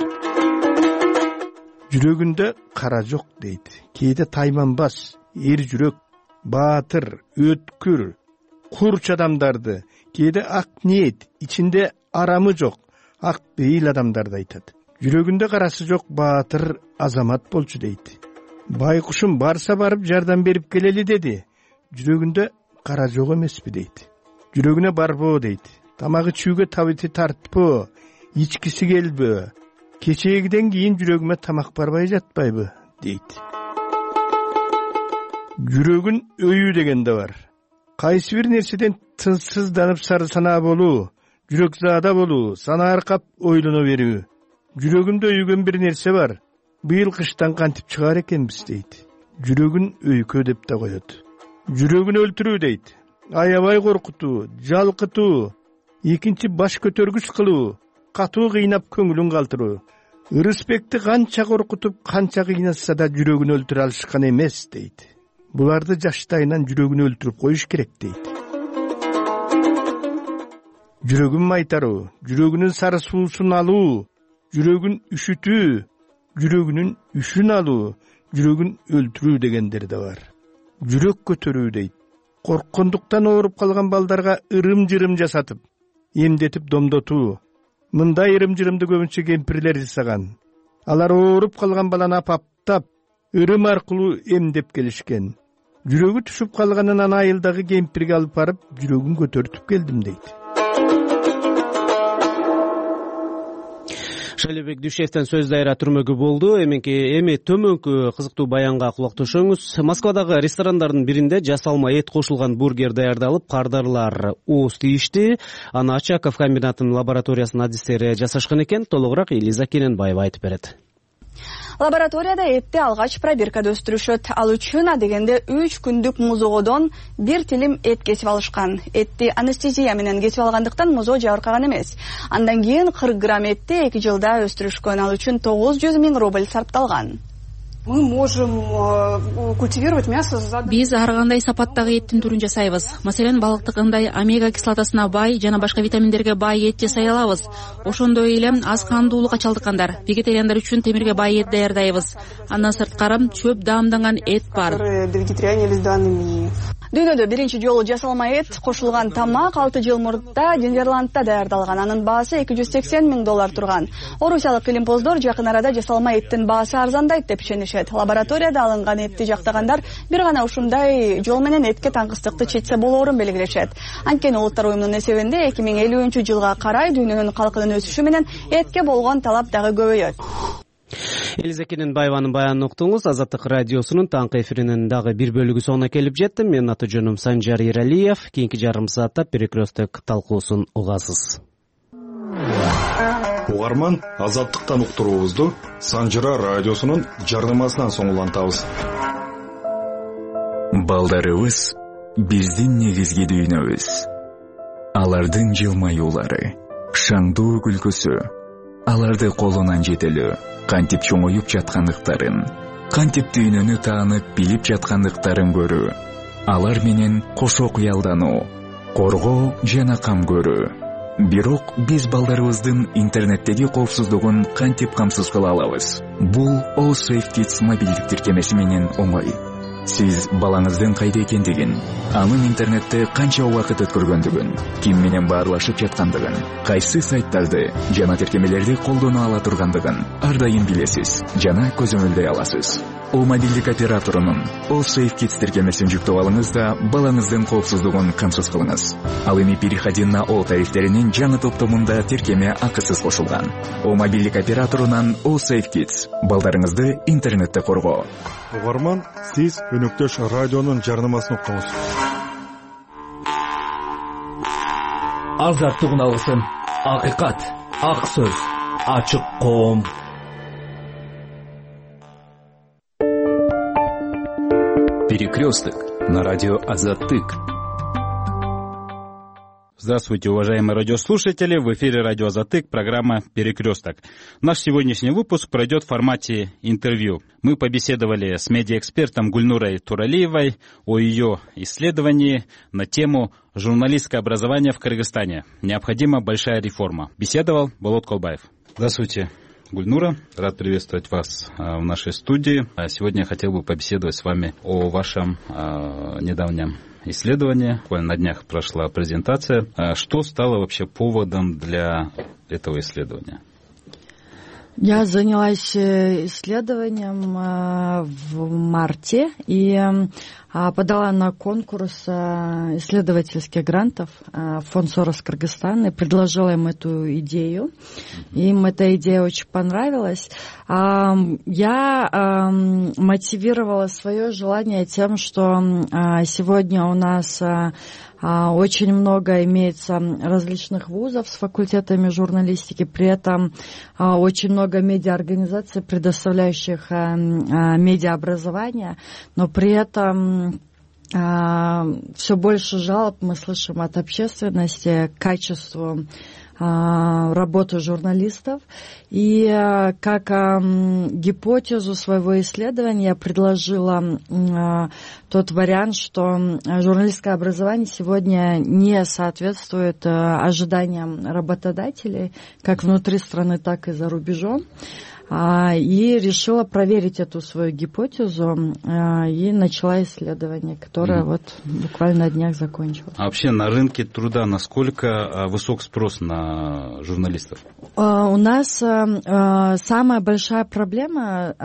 Жүрөгүндө кара жок дейт. Кээде тайманбас, эр жүрөк, баатыр, өткүр, курч адамдарды, кээде ак ниет, ичинде арамы жок, ак бейил адамдарды айтат. Жүрөгүндө карасы жок баатыр азамат болчу дейт. Байкушум барса барып жардам берип келели деди. Жүрөгүндө кара жок эмеспи дейт. Жүрөгүнө барбоо дейт. Тамагы чүүгө табыты тартпоо, ичкиси келбөө. Кечегиден кийин жүрөгүмө тамак барбай жатпайбы дейт. Жүрөгүн өйүү деген да бар. Кайсы бир нерседен тынчсызданып сары санаа болуу, жүрөк заада болуу, сана аркап ойлоно берүү. Жүрөгүмдө өйгөн бир нерсе бар. Быйыл кыштан кантип чыгар экенбиз дейт. Жүрөгүн өйкө деп да коет. Жүрөгүн өлтүрүү дейт. Аябай коркутуу, жалкытуу, экинчи баш көтөргүч кылуу, катуу кыйнап көңүлүн калтыруу. Ырысбекти канча коркутуп, канча кыйнатса да жүрөгүн өлтүрө алышкан эмес дейт. Буларды жаштайынан жүрөгүн өлтүрүп коюш керек дейт. Жүрөгүн майтаруу, жүрөгүнүн сары суусун алуу, жүрөгүн үшүтүү, жүрөгүнүн үшүн алуу, жүрөгүн өлтүрүү дегендер да бар. Жүрөк көтөрүү дейт. Корккондуктан ооруп калган балдарга ырым-жырым жасатып, эмдетип домдотуу. Мындай ырым-жырымды көбүнчө кемпирлер жасаган. Алар ооруп калган баланы апаптап, ырым аркылуу эмдеп келишкен. Жүрөгү түшүп калганынан айылдагы кемпирге алып барып, жүрөгүн көтөртүп келдим дейт. Шайлебек Дүйшевден сөз дайра түрмөгү болду. Эми төмөнкү кызыктуу баянга кулак түшөңүз. Москвадагы ресторандардын биринде жасалма эт кошулган бургер даярдалып, кардарлар ооз тийишти. Аны Очаков комбинатынын лабораториясынын адистери жасашкан экен. Толугураак Элиза Кененбаева айтып берет. Лабораторияда этти алгач пробиркада өстүрүшөт. Ал үчүн адегенде 3 күндүк музоодон 1 тилим эт кесип алышкан. Этти анестезия менен кесип алгандыктан музоо жабыркаган эмес. Андан кийин 40 грамм этти 2 жылда өстүрүшкөн. Ал үчүн 900 000 рубль сарпталган. Мы можем культивировать мясо за... Биз ар кандай сапаттагы эттин түрүн жасайбыз. Маселен, балыктыкындай омега кислотасына бай жана башка витаминдерге бай эт жасай алабыз. Ошондой эле аз кандуулукка чалдыккандар, вегетариандар үчүн темирге бай эт даярдайбыз. Андан сырткары чөп даамданган эт бар. Дүйнөдө биринчи жолу жасалма эт кошулган тамак 6 жыл мурда Нидерландда даярдалган. Анын баасы $280 000 турган. Орусиялык илимпоздор жакын арада жасалма эттин баасы арзандайт деп ишенишет. Лабораторияда алынган этти жактагандар бир гана ушундай жол менен этке таңкыстыкты чечсе болоорун белгилешет. Анткени Улуттар уюмунун эсебинде 2050-жылга карай дүйнөнүн калкынын өсүшү менен этке болгон талап дагы көбөйөт. Элиза Кененбаеванын баянын уктуңуз. Азаттык радиосунун таңкы эфиринин дагы бир бөлүгү соңуна келип жетти. Менин аты жөнүм Санжар Иралиев. Кийинки жарым саатта перекресток талкуусун угасыз. Угарман, Азаттыктан уктуруубузду Санжара радиосунун жардамасынан соң улантабыз. Балдарыбыз биздин негизги дүйнөбүз. Алардын жылмаюулары, шаңдуу күлкүсү, аларды колунан жетелөө, кантип чоңоюп жаткандыктарын, кантип дүйнөнү таанып билип жаткандыктарын көрүү, алар менен кошо кыялдануу, коргоо жана кам көрүү. Бирок биз балдарыбыздын интернеттеги коопсуздугун кантип камсыз кыла алабыз? Бул All Safe Kids мобилдик тиркемеси менен оңой. Сиз балаңыздын кайда экендигин, анын интернетте канча убакыт өткөргөндүгүн, ким менен баарлашып жаткандыгын, кайсы сайттарды жана тиркемелерди колдоно ала тургандыгын ар дайым билесиз жана көзөмөлдөй аласыз. О мобилдик операторунун All Safe Kids тиркемесин жүктөп алыңыз да балаңыздын коопсуздугун камсыз кылыңыз. Ал эми переходи на All тарифтеринин жаңы топтомунда тиркеме акысыз кошулган. О мобилдик операторунан All Safe Kids. Балдарыңызды интернетте коргоо. Угарман, сиз өнөктөш радионун жарнамасын уктуңуз. Азаттык алгысын. Акыйкат, ак сөз, ачык коом. Перекресток на радио Азаттык. Здравствуйте, уважаемые радиослушатели. В эфире радио Азаттык, программа «Перекресток». Наш сегодняшний выпуск пройдет в формате интервью. Мы побеседовали с медиаэкспертом Гульнурой Туралиевой о ее исследовании на тему «Журналистское образование в Кыргызстане. Необходима большая реформа». Беседовал Болот Колбаев. Здравствуйте, Гульнура. Рад приветствовать вас в нашей студии. Сегодня я хотел бы побеседовать с вами о вашем недавнем исследовании. Буквально на днях прошла презентация. Что стало вообще поводом для этого исследования? Я занялась исследованием в марте и подала на конкурс исследовательских грантов фонд Сорос Кыргызстан и предложила им эту идею. Им эта идея очень понравилась. Я мотивировала свое желание тем, что сегодня у нас очень много имеется различных вузов с факультетами журналистики, при этом очень много медиаорганизаций, предоставляющих медиаобразование, но при этом все больше жалоб мы слышим от общественности к качеству работы журналистов. И как гипотезу своего исследования я предложила тот вариант, что журналистское образование сегодня не соответствует ожиданиям работодателей, как внутри страны, так и за рубежом. И решила проверить эту свою гипотезу и начала исследование, которое вот буквально на днях закончилось. А вообще на рынке труда насколько высок спрос на журналистов? У нас самая большая проблема,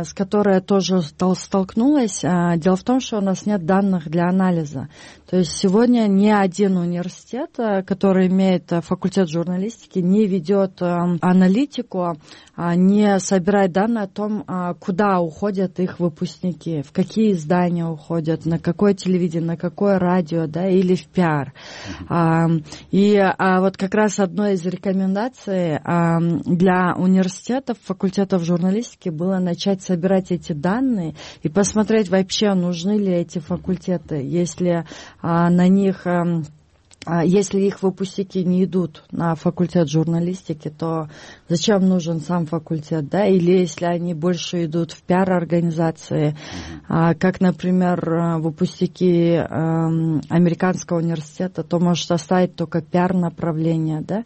с которой я тоже столкнулась, дело в том, что у нас нет данных для анализа. То есть сегодня ни один университет, который имеет факультет журналистики, не ведет аналитику, не собирает данные о том, куда уходят их выпускники, в какие издания уходят, на какое телевидение, на какое радио, да, или в пиар. И вот как раз одной из рекомендаций для университетов, факультетов журналистики было начать собирать эти данные и посмотреть вообще, нужны ли эти факультеты, если на них... Если их выпускники не идут на факультет журналистики, то зачем нужен сам факультет, да? Или если они больше идут в пиар-организации, как, например, выпускники американского университета, то может оставить только пиар-направление, да?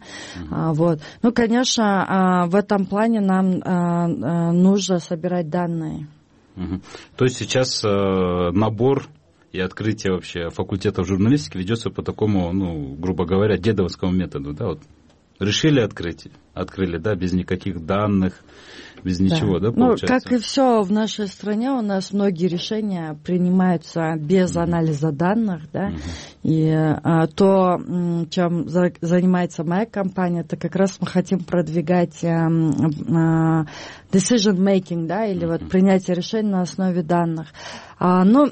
Вот. Ну, конечно, в этом плане нам нужно собирать данные. То есть сейчас набор и открытие вообще факультетов журналистики ведется по такому, ну, грубо говоря, дедовскому методу, да, вот решили открыть, открыли, да, без никаких данных, без ничего, да, получается? Ну, как и все в нашей стране, у нас многие решения принимаются без анализа данных, да, и то, чем занимается моя компания, это как раз мы хотим продвигать decision making, да, или вот принятие решений на основе данных. Ну,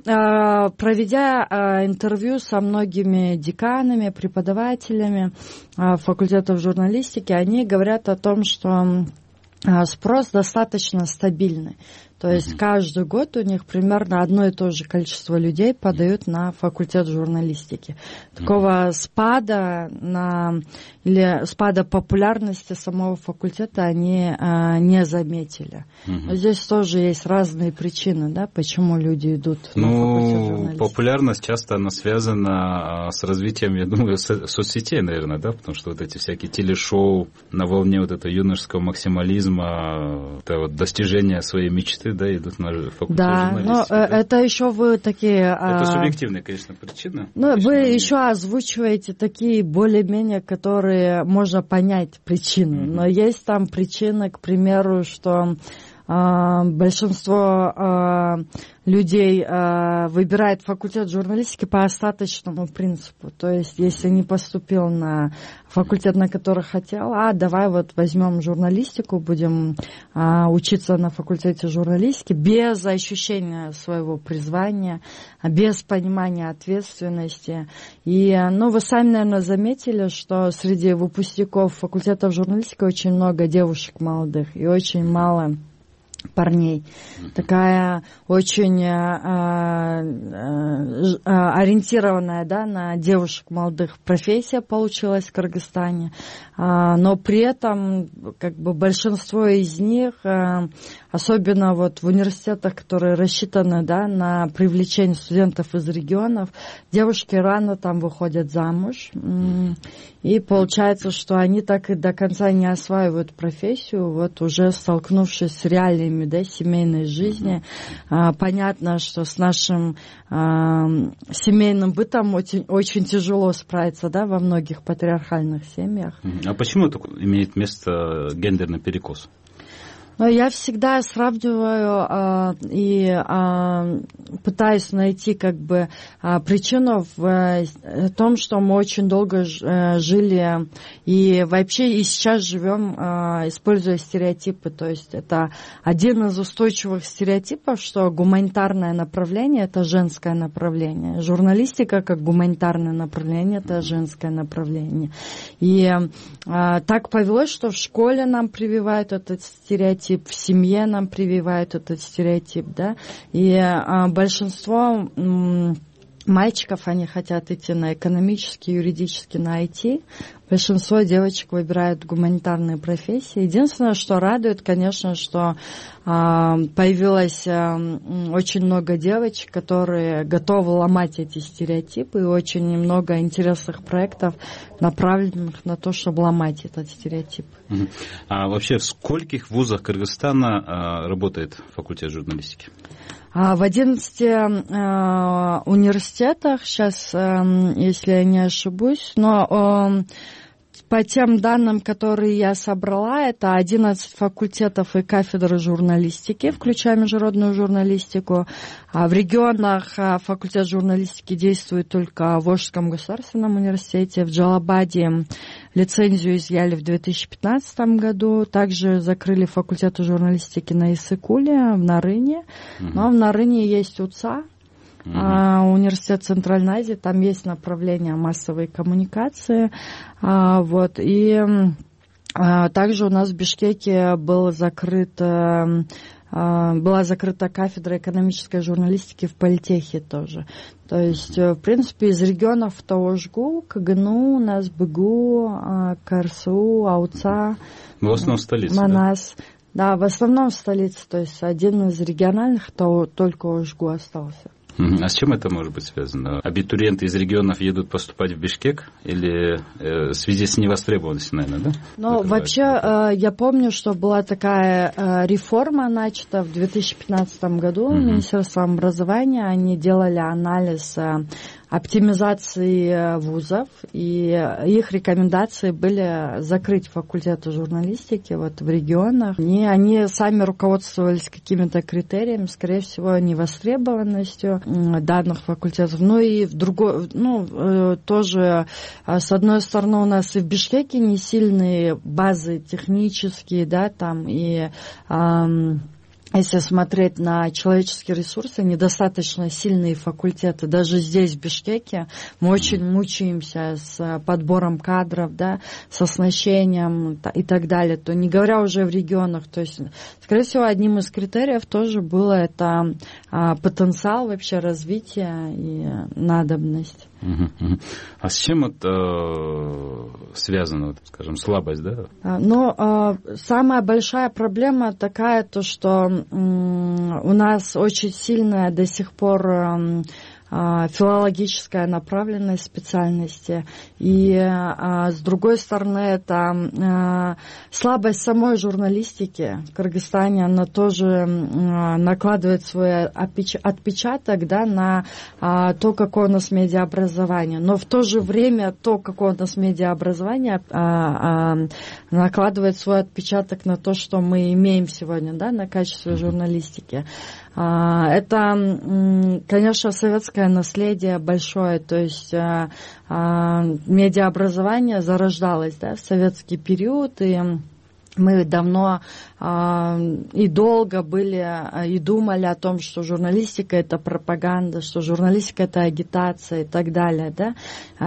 проведя интервью со многими деканами, преподавателями факультетов журналистики, они говорят о том, что спрос достаточно стабильный. То есть каждый год у них примерно одно и то же количество людей подают на факультет журналистики. Такого спада или спада популярности самого факультета они не заметили. Но здесь тоже есть разные причины, да, почему люди идут на факультет журналистики. Популярность часто она связана с развитием, я думаю, соцсетей, наверное, да, потому что вот эти всякие телешоу на волне вот этого юношеского максимализма, это вот достижение своей мечты, студенты, да, идут на факультет журналистики. Да, но это еще вы такие... Это субъективная, конечно, причина. Ну, вы еще озвучиваете такие более-менее, которые можно понять причины. Но есть там причины, к примеру, что большинство людей выбирает факультет журналистики по остаточному принципу. То есть, если не поступил на факультет, на который хотел, давай вот возьмем журналистику, будем учиться на факультете журналистики без ощущения своего призвания, без понимания ответственности. И, вы сами, наверное, заметили, что среди выпускников факультетов журналистики очень много девушек молодых и очень мало парней. Такая очень ориентированная, да, на девушек молодых профессия получилась в Кыргызстане. Но при этом как бы большинство из них, особенно вот в университетах, которые рассчитаны, да, на привлечение студентов из регионов, девушки рано там выходят замуж. И получается, что они так и до конца не осваивают профессию, вот уже столкнувшись с реалиями, да, семейной жизни. Понятно, что с нашим семейным бытом очень, очень тяжело справиться, да, во многих патриархальных семьях. А почему это имеет место гендерный перекос? Но я всегда сравниваю и пытаюсь найти как бы причину в том, что мы очень долго жили и вообще и сейчас живем, используя стереотипы. То есть это один из устойчивых стереотипов, что гуманитарное направление – это женское направление. Журналистика как гуманитарное направление – это женское направление. И так повелось, что в школе нам прививают этот стереотип, в семье нам прививают этот стереотип, да, и большинство мальчиков, они хотят идти на экономический, юридический, на IT. Большинство девочек выбирают гуманитарные профессии. Единственное, что радует, конечно, что появилось очень много девочек, которые готовы ломать эти стереотипы, и очень много интересных проектов, направленных на то, чтобы ломать этот стереотип. А вообще в скольких вузах Кыргызстана работает факультет журналистики? В 11 университетах, сейчас, если я не ошибусь, но по тем данным, которые я собрала, это 11 факультетов и кафедры журналистики, включая международную журналистику. В регионах факультет журналистики действует только в Волжском государственном университете, в Джалабаде лицензию изъяли в 2015 году. Также закрыли факультет журналистики на Иссыкуле, в Нарыне. Но в Нарыне есть УЦА, университет Центральной Азии, там есть направление массовой коммуникации. Вот. И также у нас в Бишкеке была закрыта кафедра экономической журналистики в политехе тоже. То есть, в принципе, из регионов ТОЖГУ, КГНУ, НАСБГУ, КРСУ, АУЦА, в основном столица, Манас. Да, в основном в столице. То есть, один из региональных, то только ОЖГУ остался. А с чем это может быть связано? Абитуриенты из регионов едут поступать в Бишкек или в связи с невостребованностью, наверное, да? Ну, вообще, я помню, что была такая реформа начата в 2015 году Министерством образования. Они делали анализ оптимизации вузов, и их рекомендации были закрыть факультеты журналистики вот в регионах. И они сами руководствовались какими-то критериями, скорее всего, невостребованностью данных факультетов. Ну и в другой, тоже, с одной стороны, у нас и в Бишкеке не сильные базы технические, да, там, и если смотреть на человеческие ресурсы, недостаточно сильные факультеты. Даже здесь, в Бишкеке, мы очень мучаемся с подбором кадров, да, с оснащением и так далее. То не говоря уже в регионах. То есть, скорее всего, одним из критериев тоже было это потенциал вообще развития и надобность. А с чем это связано, скажем, слабость, да? Самая большая проблема такая, то что у нас очень сильная до сих пор филологическая направленность специальности. И с другой стороны, это слабость самой журналистики в Кыргызстане, она тоже накладывает свой отпечаток, да, на то, какое у нас медиаобразование. Но в то же время то, какое у нас медиаобразование, накладывает свой отпечаток на то, что мы имеем сегодня, да, на качестве журналистики. Это, конечно, советское наследие большое, то есть медиаобразование зарождалось, да, в советский период, и мы давно и долго были и думали о том, что журналистика — это пропаганда, что журналистика — это агитация и так далее. Да?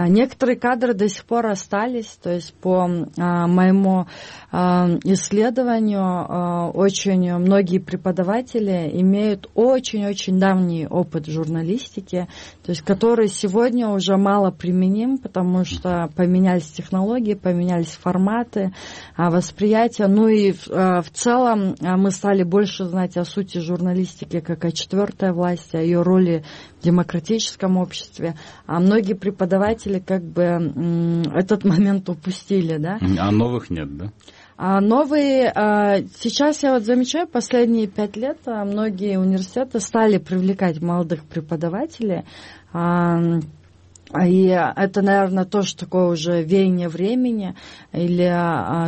Некоторые кадры до сих пор остались, то есть по моему исследованию очень многие преподаватели имеют очень-очень давний опыт журналистики, то есть который сегодня уже мало применим, потому что поменялись технологии, поменялись форматы восприятия. Ну и в целом мы стали больше знать о сути журналистики как о четвертой власти, о ее роли в демократическом обществе. А многие преподаватели как бы этот момент упустили. Да? А новых нет, да? А новые, сейчас я вот замечаю, последние 5 лет многие университеты стали привлекать молодых преподавателей. И это, наверное, тоже такое уже веяние времени. Или,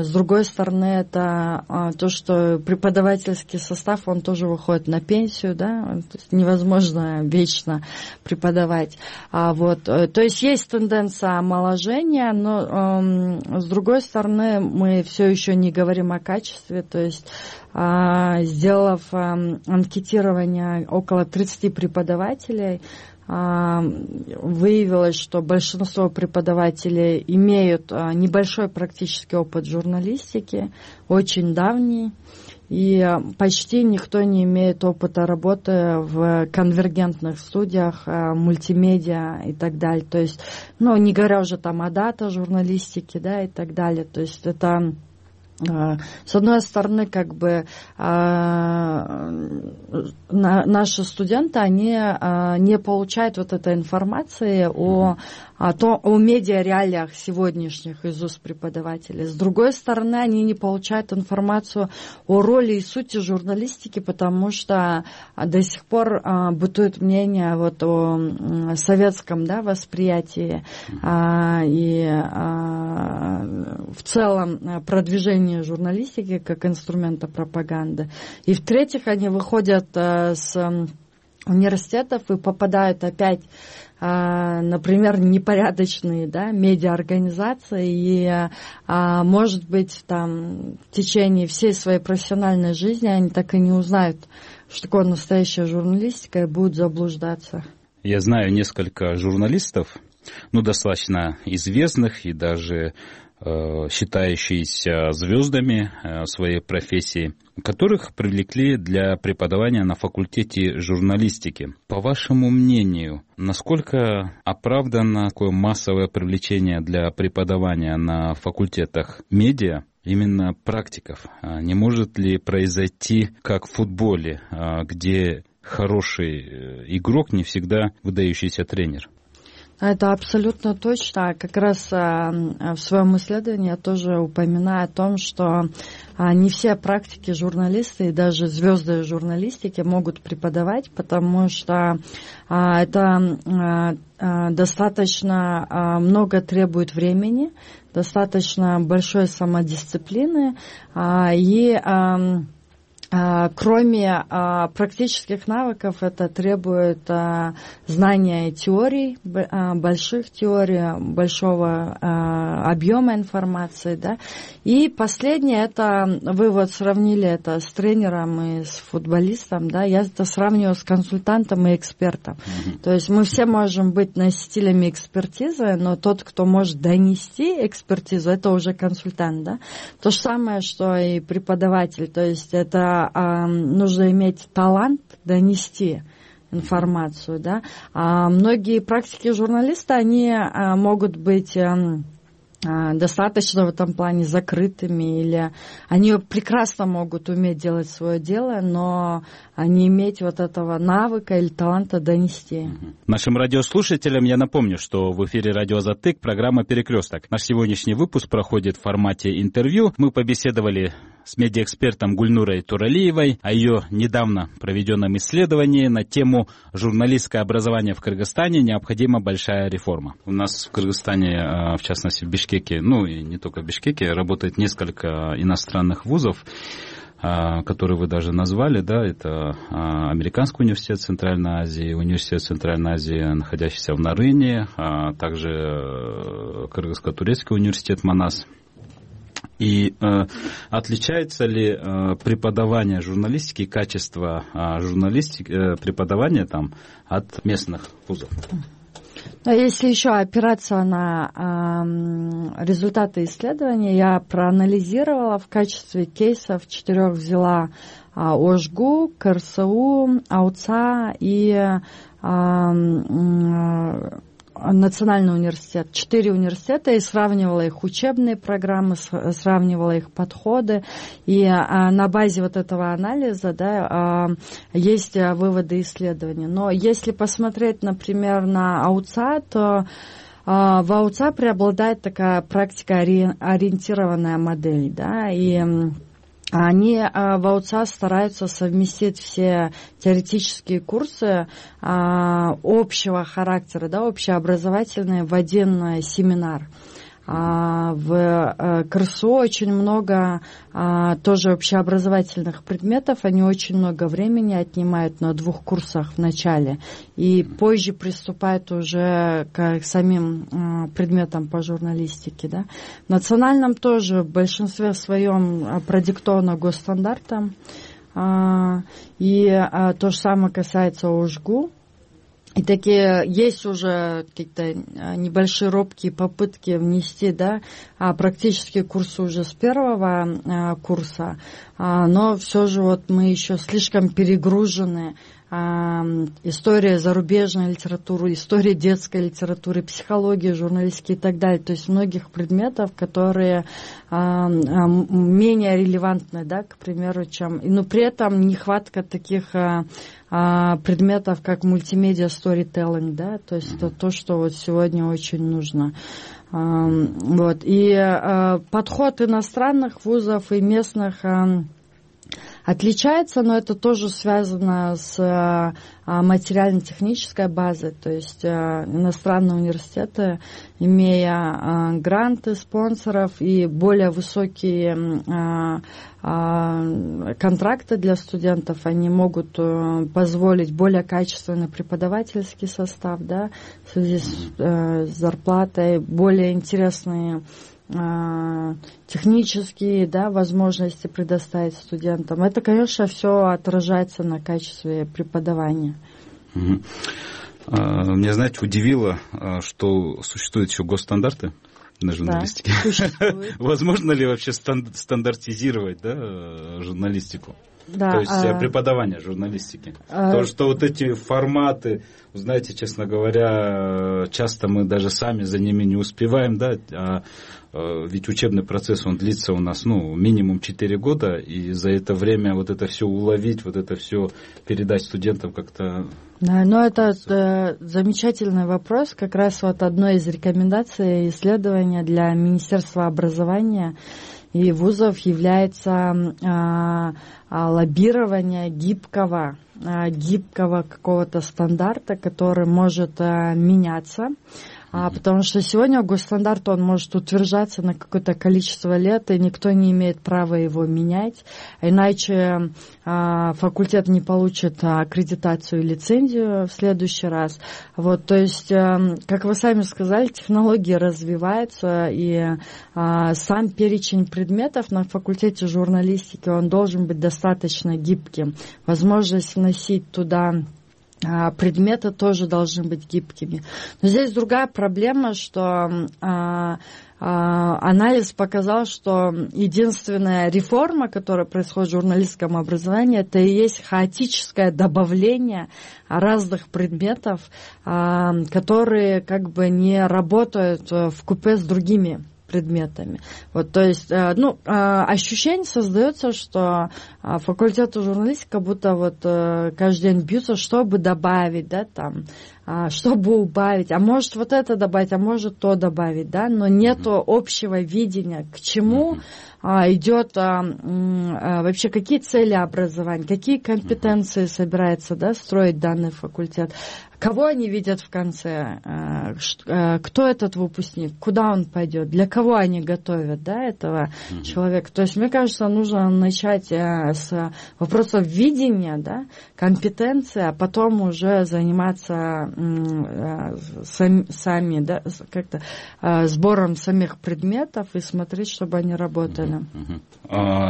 с другой стороны, это то, что преподавательский состав, он тоже выходит на пенсию, да, то есть невозможно вечно преподавать. То есть есть тенденция омоложения, но, с другой стороны, мы все еще не говорим о качестве, то есть сделав анкетирование около 30 преподавателей, выявилось, что большинство преподавателей имеют небольшой практический опыт журналистики, очень давний, и почти никто не имеет опыта работы в конвергентных студиях, мультимедиа и так далее. То есть, не говоря уже там о дата-журналистике, да, и так далее. То есть это... С одной стороны, как бы наши студенты, они не получают вот этой информации о медиареалиях сегодняшних из уст преподавателей. С другой стороны, они не получают информацию о роли и сути журналистики, потому что до сих пор бытует мнение вот о советском, да, восприятии и в целом продвижении журналистики как инструмента пропаганды. И в-третьих, они выходят с университетов и попадают опять, например, непорядочные, да, медиаорганизации, и, может быть, там, в течение всей своей профессиональной жизни они так и не узнают, что такое настоящая журналистика, и будут заблуждаться. Я знаю несколько журналистов, достаточно известных и даже считающиеся звездами своей профессии, которых привлекли для преподавания на факультете журналистики. По вашему мнению, насколько оправдано такое массовое привлечение для преподавания на факультетах медиа именно практиков? Не может ли произойти, как в футболе, где хороший игрок не всегда выдающийся тренер? Это абсолютно точно. Как раз в своем исследовании я тоже упоминаю о том, что не все практики журналисты и даже звезды журналистики могут преподавать, потому что это достаточно много требует времени, достаточно большой самодисциплины и кроме практических навыков, это требует знания теорий, больших теорий, большого объема информации. Да? И последнее, это вы вот сравнили это с тренером и с футболистом. Да? Я это сравниваю с консультантом и экспертом. То есть мы все можем быть носителями экспертизы, но тот, кто может донести экспертизу, это уже консультант. Да? То же самое, что и преподаватель. То есть это нужно иметь талант донести информацию, да. Многие практики журналиста, они могут быть достаточно в этом плане закрытыми, или они прекрасно могут уметь делать свое дело, но не иметь вот этого навыка или таланта донести. Нашим радиослушателям я напомню, что в эфире радио «Затык» программа «Перекресток». Наш сегодняшний выпуск проходит в формате интервью. Мы побеседовали с медиаэкспертом Гульнурой Туралиевой о ее недавно проведенном исследовании на тему «Журналистское образование в Кыргызстане. Необходима большая реформа». У нас в Кыргызстане, в частности в Бишкеке, ну и не только в Бишкеке, работает несколько иностранных вузов, которые вы даже назвали, да, это Американский университет Центральной Азии, университет Центральной Азии, находящийся в Нарыне, также Кыргызско-турецкий университет Манас. И отличается ли преподавание журналистики, качество журналистики, преподавания там от местных вузов? Если еще опираться на результаты исследования, я проанализировала в качестве кейсов 4 взяла ОЖГУ, КРСУ, АУЦА и Национальный университет, 4 университета, и сравнивала их учебные программы, сравнивала их подходы, и на базе вот этого анализа, да, есть выводы исследований. Но если посмотреть, например, на АУЦА, то в АУЦА преобладает такая практикоориентированная модель, да, и они в АУЦА стараются совместить все теоретические курсы общего характера, да, общеобразовательные в один семинар. В КРСУ очень много тоже общеобразовательных предметов, они очень много времени отнимают на 2 курсах в начале и позже приступают уже к самим предметам по журналистике. Да. В национальном тоже в большинстве своем продиктовано госстандартом, и то же самое касается ОЖГУ. И такие есть уже какие-то небольшие робкие попытки внести, да, практические курсы уже с 1 курса, но все же вот мы еще слишком перегружены. История зарубежной литературы, история детской литературы, психология, журналистики и так далее. То есть многих предметов, которые менее релевантны, да, к примеру, чем... Но при этом нехватка таких предметов, как мультимедиа сторителлинг, да, то есть это то, что вот сегодня очень нужно. Вот. И подход иностранных вузов и местных отличается, но это тоже связано с материально-технической базой, то есть иностранные университеты, имея гранты спонсоров и более высокие контракты для студентов, они могут позволить более качественный преподавательский состав, да, в связи с зарплатой, более интересные технические, да, возможности предоставить студентам. Это, конечно, все отражается на качестве преподавания. Меня, знаете, удивило, что существуют еще госстандарты на журналистике. Да, возможно ли вообще стандартизировать, да, журналистику? Да, то есть преподавание журналистики. То, что вот эти форматы, знаете, честно говоря, часто мы даже сами за ними не успеваем, да, ведь учебный процесс, он длится у нас, ну, минимум 4 года, и за это время вот это все уловить, вот это все передать студентам как-то... Да, но это замечательный вопрос, как раз вот одной из рекомендаций исследования для Министерства образования и вузов является лоббирование гибкого какого-то стандарта, который может меняться. Потому что сегодня госстандарт, он может утверждаться на какое-то количество лет, и никто не имеет права его менять, иначе факультет не получит аккредитацию и лицензию в следующий раз. Вот, то есть, как вы сами сказали, технологии развиваются, и сам перечень предметов на факультете журналистики, он должен быть достаточно гибким. Возможность вносить туда предметы тоже должны быть гибкими. Но здесь другая проблема, что анализ показал, что единственная реформа, которая происходит в журналистском образовании, это и есть хаотическое добавление разных предметов, которые как бы не работают вкупе с другими предметами. Вот, то есть, ощущение создается, что факультету журналистики как будто вот каждый день бьются, чтобы добавить, да, там, чтобы убавить, а может вот это добавить, а может то добавить, да, но нету общего видения, к чему идет вообще, какие цели образования, какие компетенции собирается, да, строить данный факультет, кого они видят в конце, кто этот выпускник, куда он пойдет, для кого они готовят, да, этого человека. То есть, мне кажется, нужно начать с вопросов видения, да, компетенции, а потом уже заниматься сами, да, как-то сбором самих предметов и смотреть, чтобы они работали.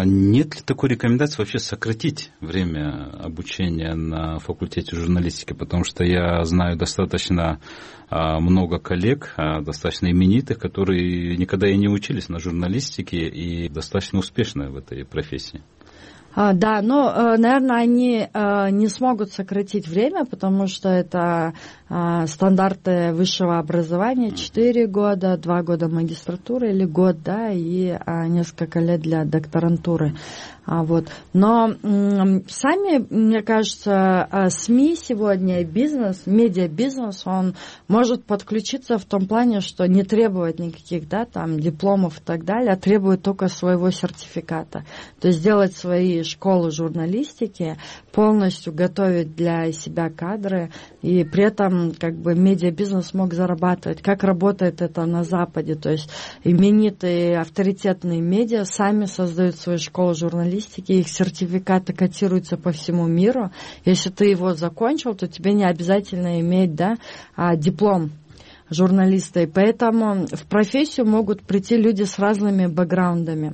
Нет ли такой рекомендации вообще сократить время обучения на факультете журналистики? Потому что я знаю достаточно много коллег, достаточно именитых, которые никогда и не учились на журналистике и достаточно успешны в этой профессии. Да, но, наверное, они не смогут сократить время, потому что это стандарты высшего образования, 4 года, 2 года магистратуры или год, да, и несколько лет для докторантуры. Вот. Но сами, мне кажется, СМИ сегодня, бизнес, медиабизнес, он может подключиться в том плане, что не требует никаких, да, там, дипломов и так далее, а требует только своего сертификата. То есть делать свои школы журналистики, полностью готовить для себя кадры, и при этом как бы медиабизнес мог зарабатывать. Как работает это на Западе? То есть именитые авторитетные медиа сами создают свои школы журналистики, их сертификаты котируются по всему миру. Если ты его закончил, то тебе не обязательно иметь, да, диплом журналиста. И поэтому в профессию могут прийти люди с разными бэкграундами.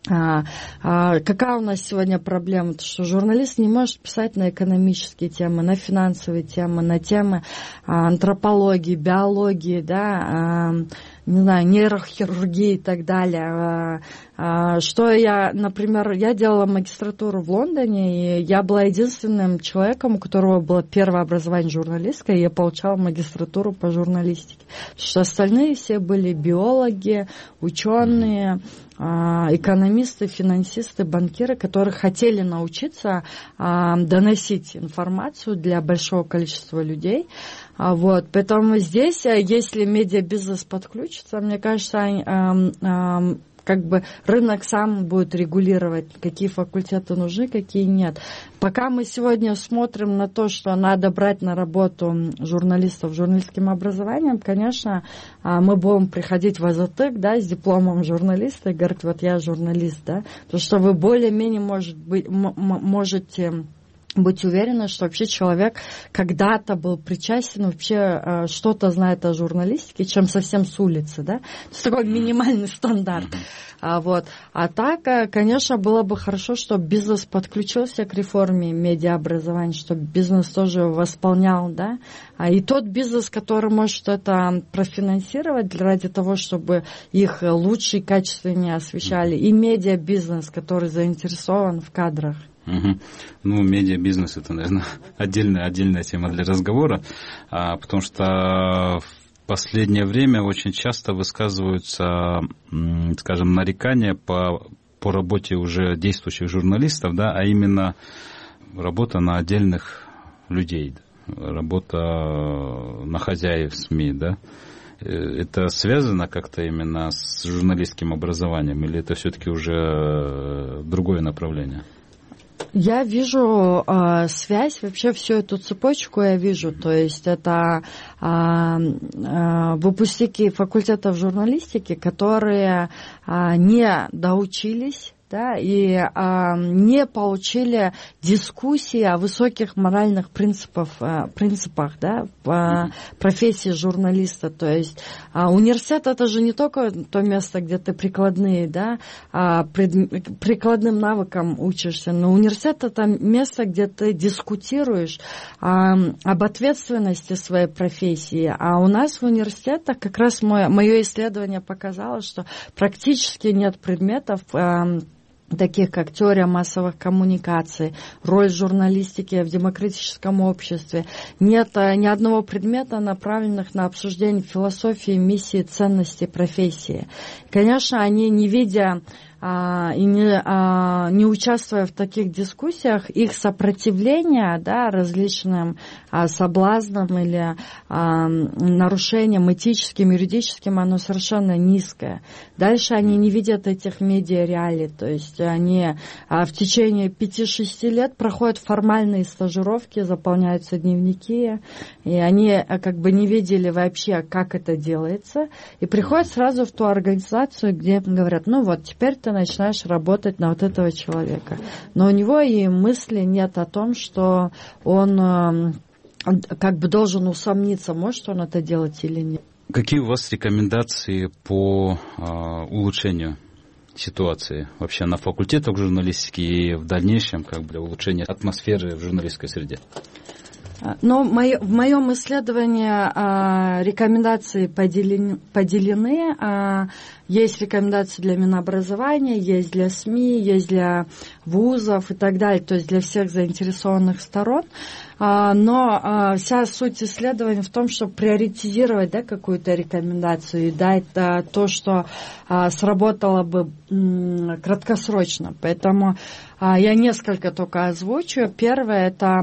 Какая у нас сегодня проблема? То, что журналист не может писать на экономические темы, на финансовые темы, на темы антропологии, биологии, да, не знаю, нейрохирургии и так далее. Что я, например, я делала магистратуру в Лондоне, и я была единственным человеком, у которого было первое образование журналистское, и я получала магистратуру по журналистике. Потому что остальные все были биологи, ученые, экономисты, финансисты, банкиры, которые хотели научиться доносить информацию для большого количества людей. Вот. Поэтому здесь, если медиабизнес подключится, мне кажется, как бы рынок сам будет регулировать, какие факультеты нужны, какие нет. Пока мы сегодня смотрим на то, что надо брать на работу журналистов с журналистским образованием, конечно, мы будем приходить в АЗТЭК, да, с дипломом журналиста и говорить, вот я журналист, да, потому что вы более-менее можете быть уверены, что вообще человек когда-то был причастен, вообще что-то знает о журналистике, чем совсем с улицы, да? Это такой минимальный стандарт. Вот. А так, конечно, было бы хорошо, чтобы бизнес подключился к реформе медиаобразования, чтобы бизнес тоже восполнял, да? И тот бизнес, который может это профинансировать ради того, чтобы их лучше и качественнее освещали, и медиабизнес, который заинтересован в кадрах. Ну, медиабизнес — это, наверное, отдельная тема для разговора, потому что в последнее время очень часто высказываются, скажем, нарекания по работе уже действующих журналистов, да, а именно работа на отдельных людей, работа на хозяев СМИ, да. Это связано как-то именно с журналистским образованием, или это все-таки уже другое направление? Я вижу связь, вообще всю эту цепочку я вижу, то есть это выпускники факультетов журналистики, которые не доучились, да, и не получили дискуссии о высоких моральных принципах, да, в профессии журналиста. То есть университет — это же не только то место, где ты прикладным навыкам учишься, но университет — это место, где ты дискутируешь об ответственности своей профессии. А у нас в университетах как раз мое исследование показало, что практически нет предметов, таких как теория массовых коммуникаций, роль журналистики в демократическом обществе. Нет ни одного предмета, направленных на обсуждение философии, миссии, ценностей профессии. Конечно, они, не видя и не участвуя в таких дискуссиях, их сопротивление, да, различным соблазнам или нарушениям этическим, юридическим, оно совершенно низкое. Дальше они не видят этих медиа-реалий, то есть они в течение 5-6 лет проходят формальные стажировки, заполняются дневники, и они как бы не видели вообще, как это делается, и приходят сразу в ту организацию, где говорят, ну вот, теперь ты начинаешь работать на вот этого человека. Но у него и мысли нет о том, что он как бы должен усомниться, может он это делать или нет. Какие у вас рекомендации по улучшению ситуации вообще на факультетах журналистики и в дальнейшем как бы для улучшения атмосферы в журналистской среде? Но в моем исследовании рекомендации поделены. Есть рекомендации для Минобразования, есть для СМИ, есть для вузов и так далее, то есть для всех заинтересованных сторон. Но вся суть исследования в том, чтобы приоритизировать, да, какую-то рекомендацию и дать то, что сработало бы краткосрочно. Поэтому я несколько только озвучу. Первое, это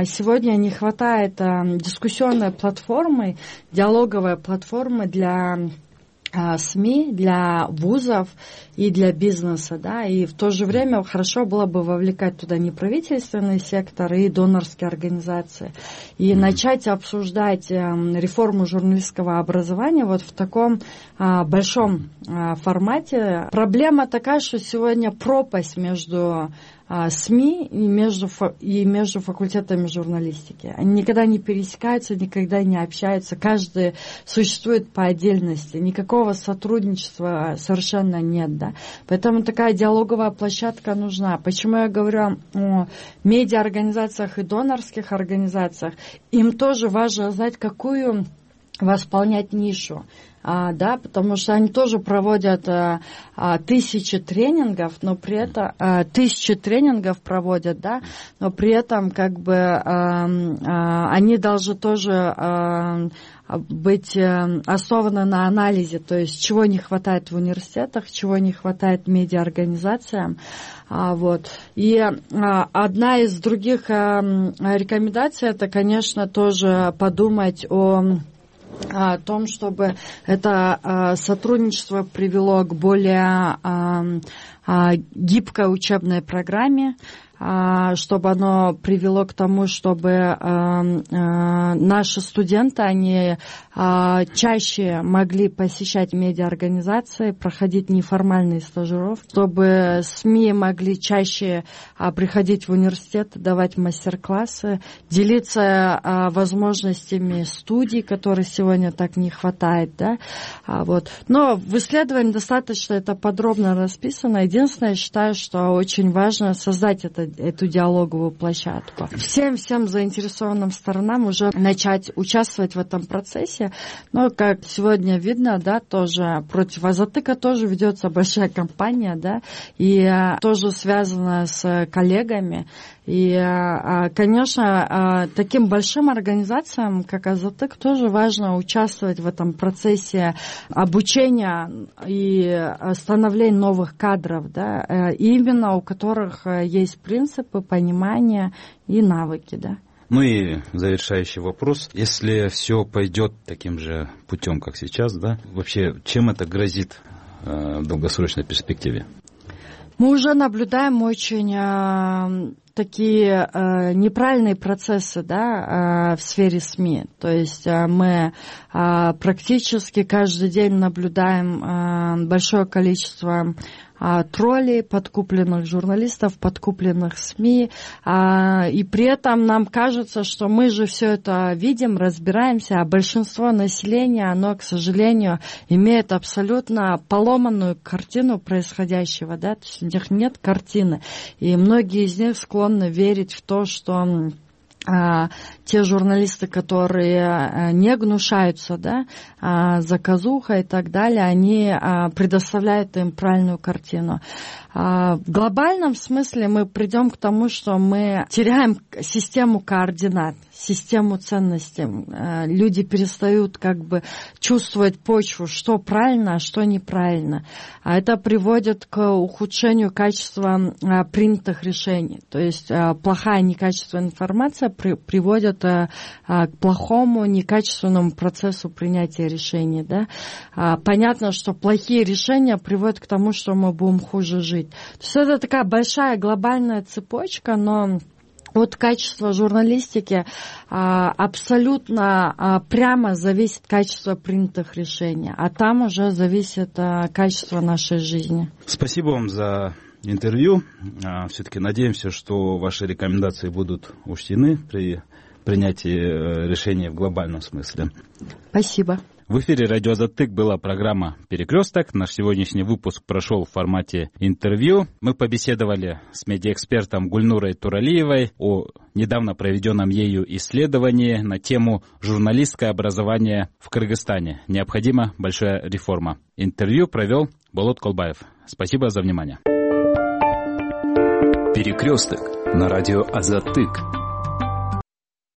сегодня не хватает дискуссионной платформы, диалоговой платформы для СМИ, для вузов и для бизнеса, да, и в то же время хорошо было бы вовлекать туда неправительственный сектор и донорские организации, и начать обсуждать реформу журналистского образования вот в таком большом формате. Проблема такая, что сегодня пропасть между СМИ и между факультетами журналистики. Они никогда не пересекаются, никогда не общаются, каждый существует по отдельности, никакого сотрудничества совершенно нет, да. Поэтому такая диалоговая площадка нужна. Почему я говорю о медиаорганизациях и донорских организациях? Им тоже важно знать, какую восполнять нишу. Да, потому что они тоже проводят 1000 тренингов, но при этом 1000 тренингов проводят, да, но при этом как бы они должны тоже быть основаны на анализе, то есть чего не хватает в университетах, чего не хватает медиаорганизациям. Вот. И одна из других рекомендаций, это, конечно, тоже подумать о том, чтобы это сотрудничество привело к более гибкой учебной программе, чтобы оно привело к тому, чтобы наши студенты, они чаще могли посещать медиаорганизации, проходить неформальные стажировки, чтобы СМИ могли чаще приходить в университет, давать мастер-классы, делиться возможностями студий, которых сегодня так не хватает, да, вот. Но в исследовании достаточно это подробно расписано. Единственное, я считаю, что очень важно создать эту диалоговую площадку. Всем заинтересованным сторонам уже начать участвовать в этом процессе. Но, как сегодня видно, да, тоже против Азатыка тоже ведется большая кампания, да, и тоже связана с коллегами. И, конечно, таким большим организациям, как Азатык, тоже важно участвовать в этом процессе обучения и становления новых кадров, да, именно у которых есть принципы, понимание и навыки, да. Ну и завершающий вопрос. Если все пойдет таким же путем, как сейчас, да, вообще чем это грозит в долгосрочной перспективе? Мы уже наблюдаем очень такие неправильные процессы, да, в сфере СМИ. То есть мы практически каждый день наблюдаем большое количество троллей, подкупленных журналистов, подкупленных СМИ, и при этом нам кажется, что мы же все это видим, разбираемся, а большинство населения, оно, к сожалению, имеет абсолютно поломанную картину происходящего, да, то есть у них нет картины, и многие из них склонны верить в то, что те журналисты, которые не гнушаются, заказуха и так далее, они предоставляют им правильную картину. В глобальном смысле мы придем к тому, что мы теряем систему координат, систему ценностей. Люди перестают чувствовать почву, что правильно, а что неправильно. А это приводит к ухудшению качества принятых решений. То есть плохая некачественная информация приводит к плохому некачественному процессу принятия решений. Понятно, что плохие решения приводят к тому, что мы будем хуже жить. То есть это такая большая глобальная цепочка, но от качества журналистики абсолютно прямо зависит качество принятых решений, а там уже зависит качество нашей жизни. Спасибо вам за интервью. Все-таки надеемся, что ваши рекомендации будут учтены при принятии решения в глобальном смысле. Спасибо. В эфире «Радио Азаттык» была программа «Перекресток». Наш сегодняшний выпуск прошел в формате интервью. Мы побеседовали с медиаэкспертом Гульнурой Туралиевой о недавно проведенном ею исследовании на тему «Журналистское образование в Кыргызстане. Необходима большая реформа». Интервью провел Болот Колбаев. Спасибо за внимание. «Перекресток» на радио Азаттык.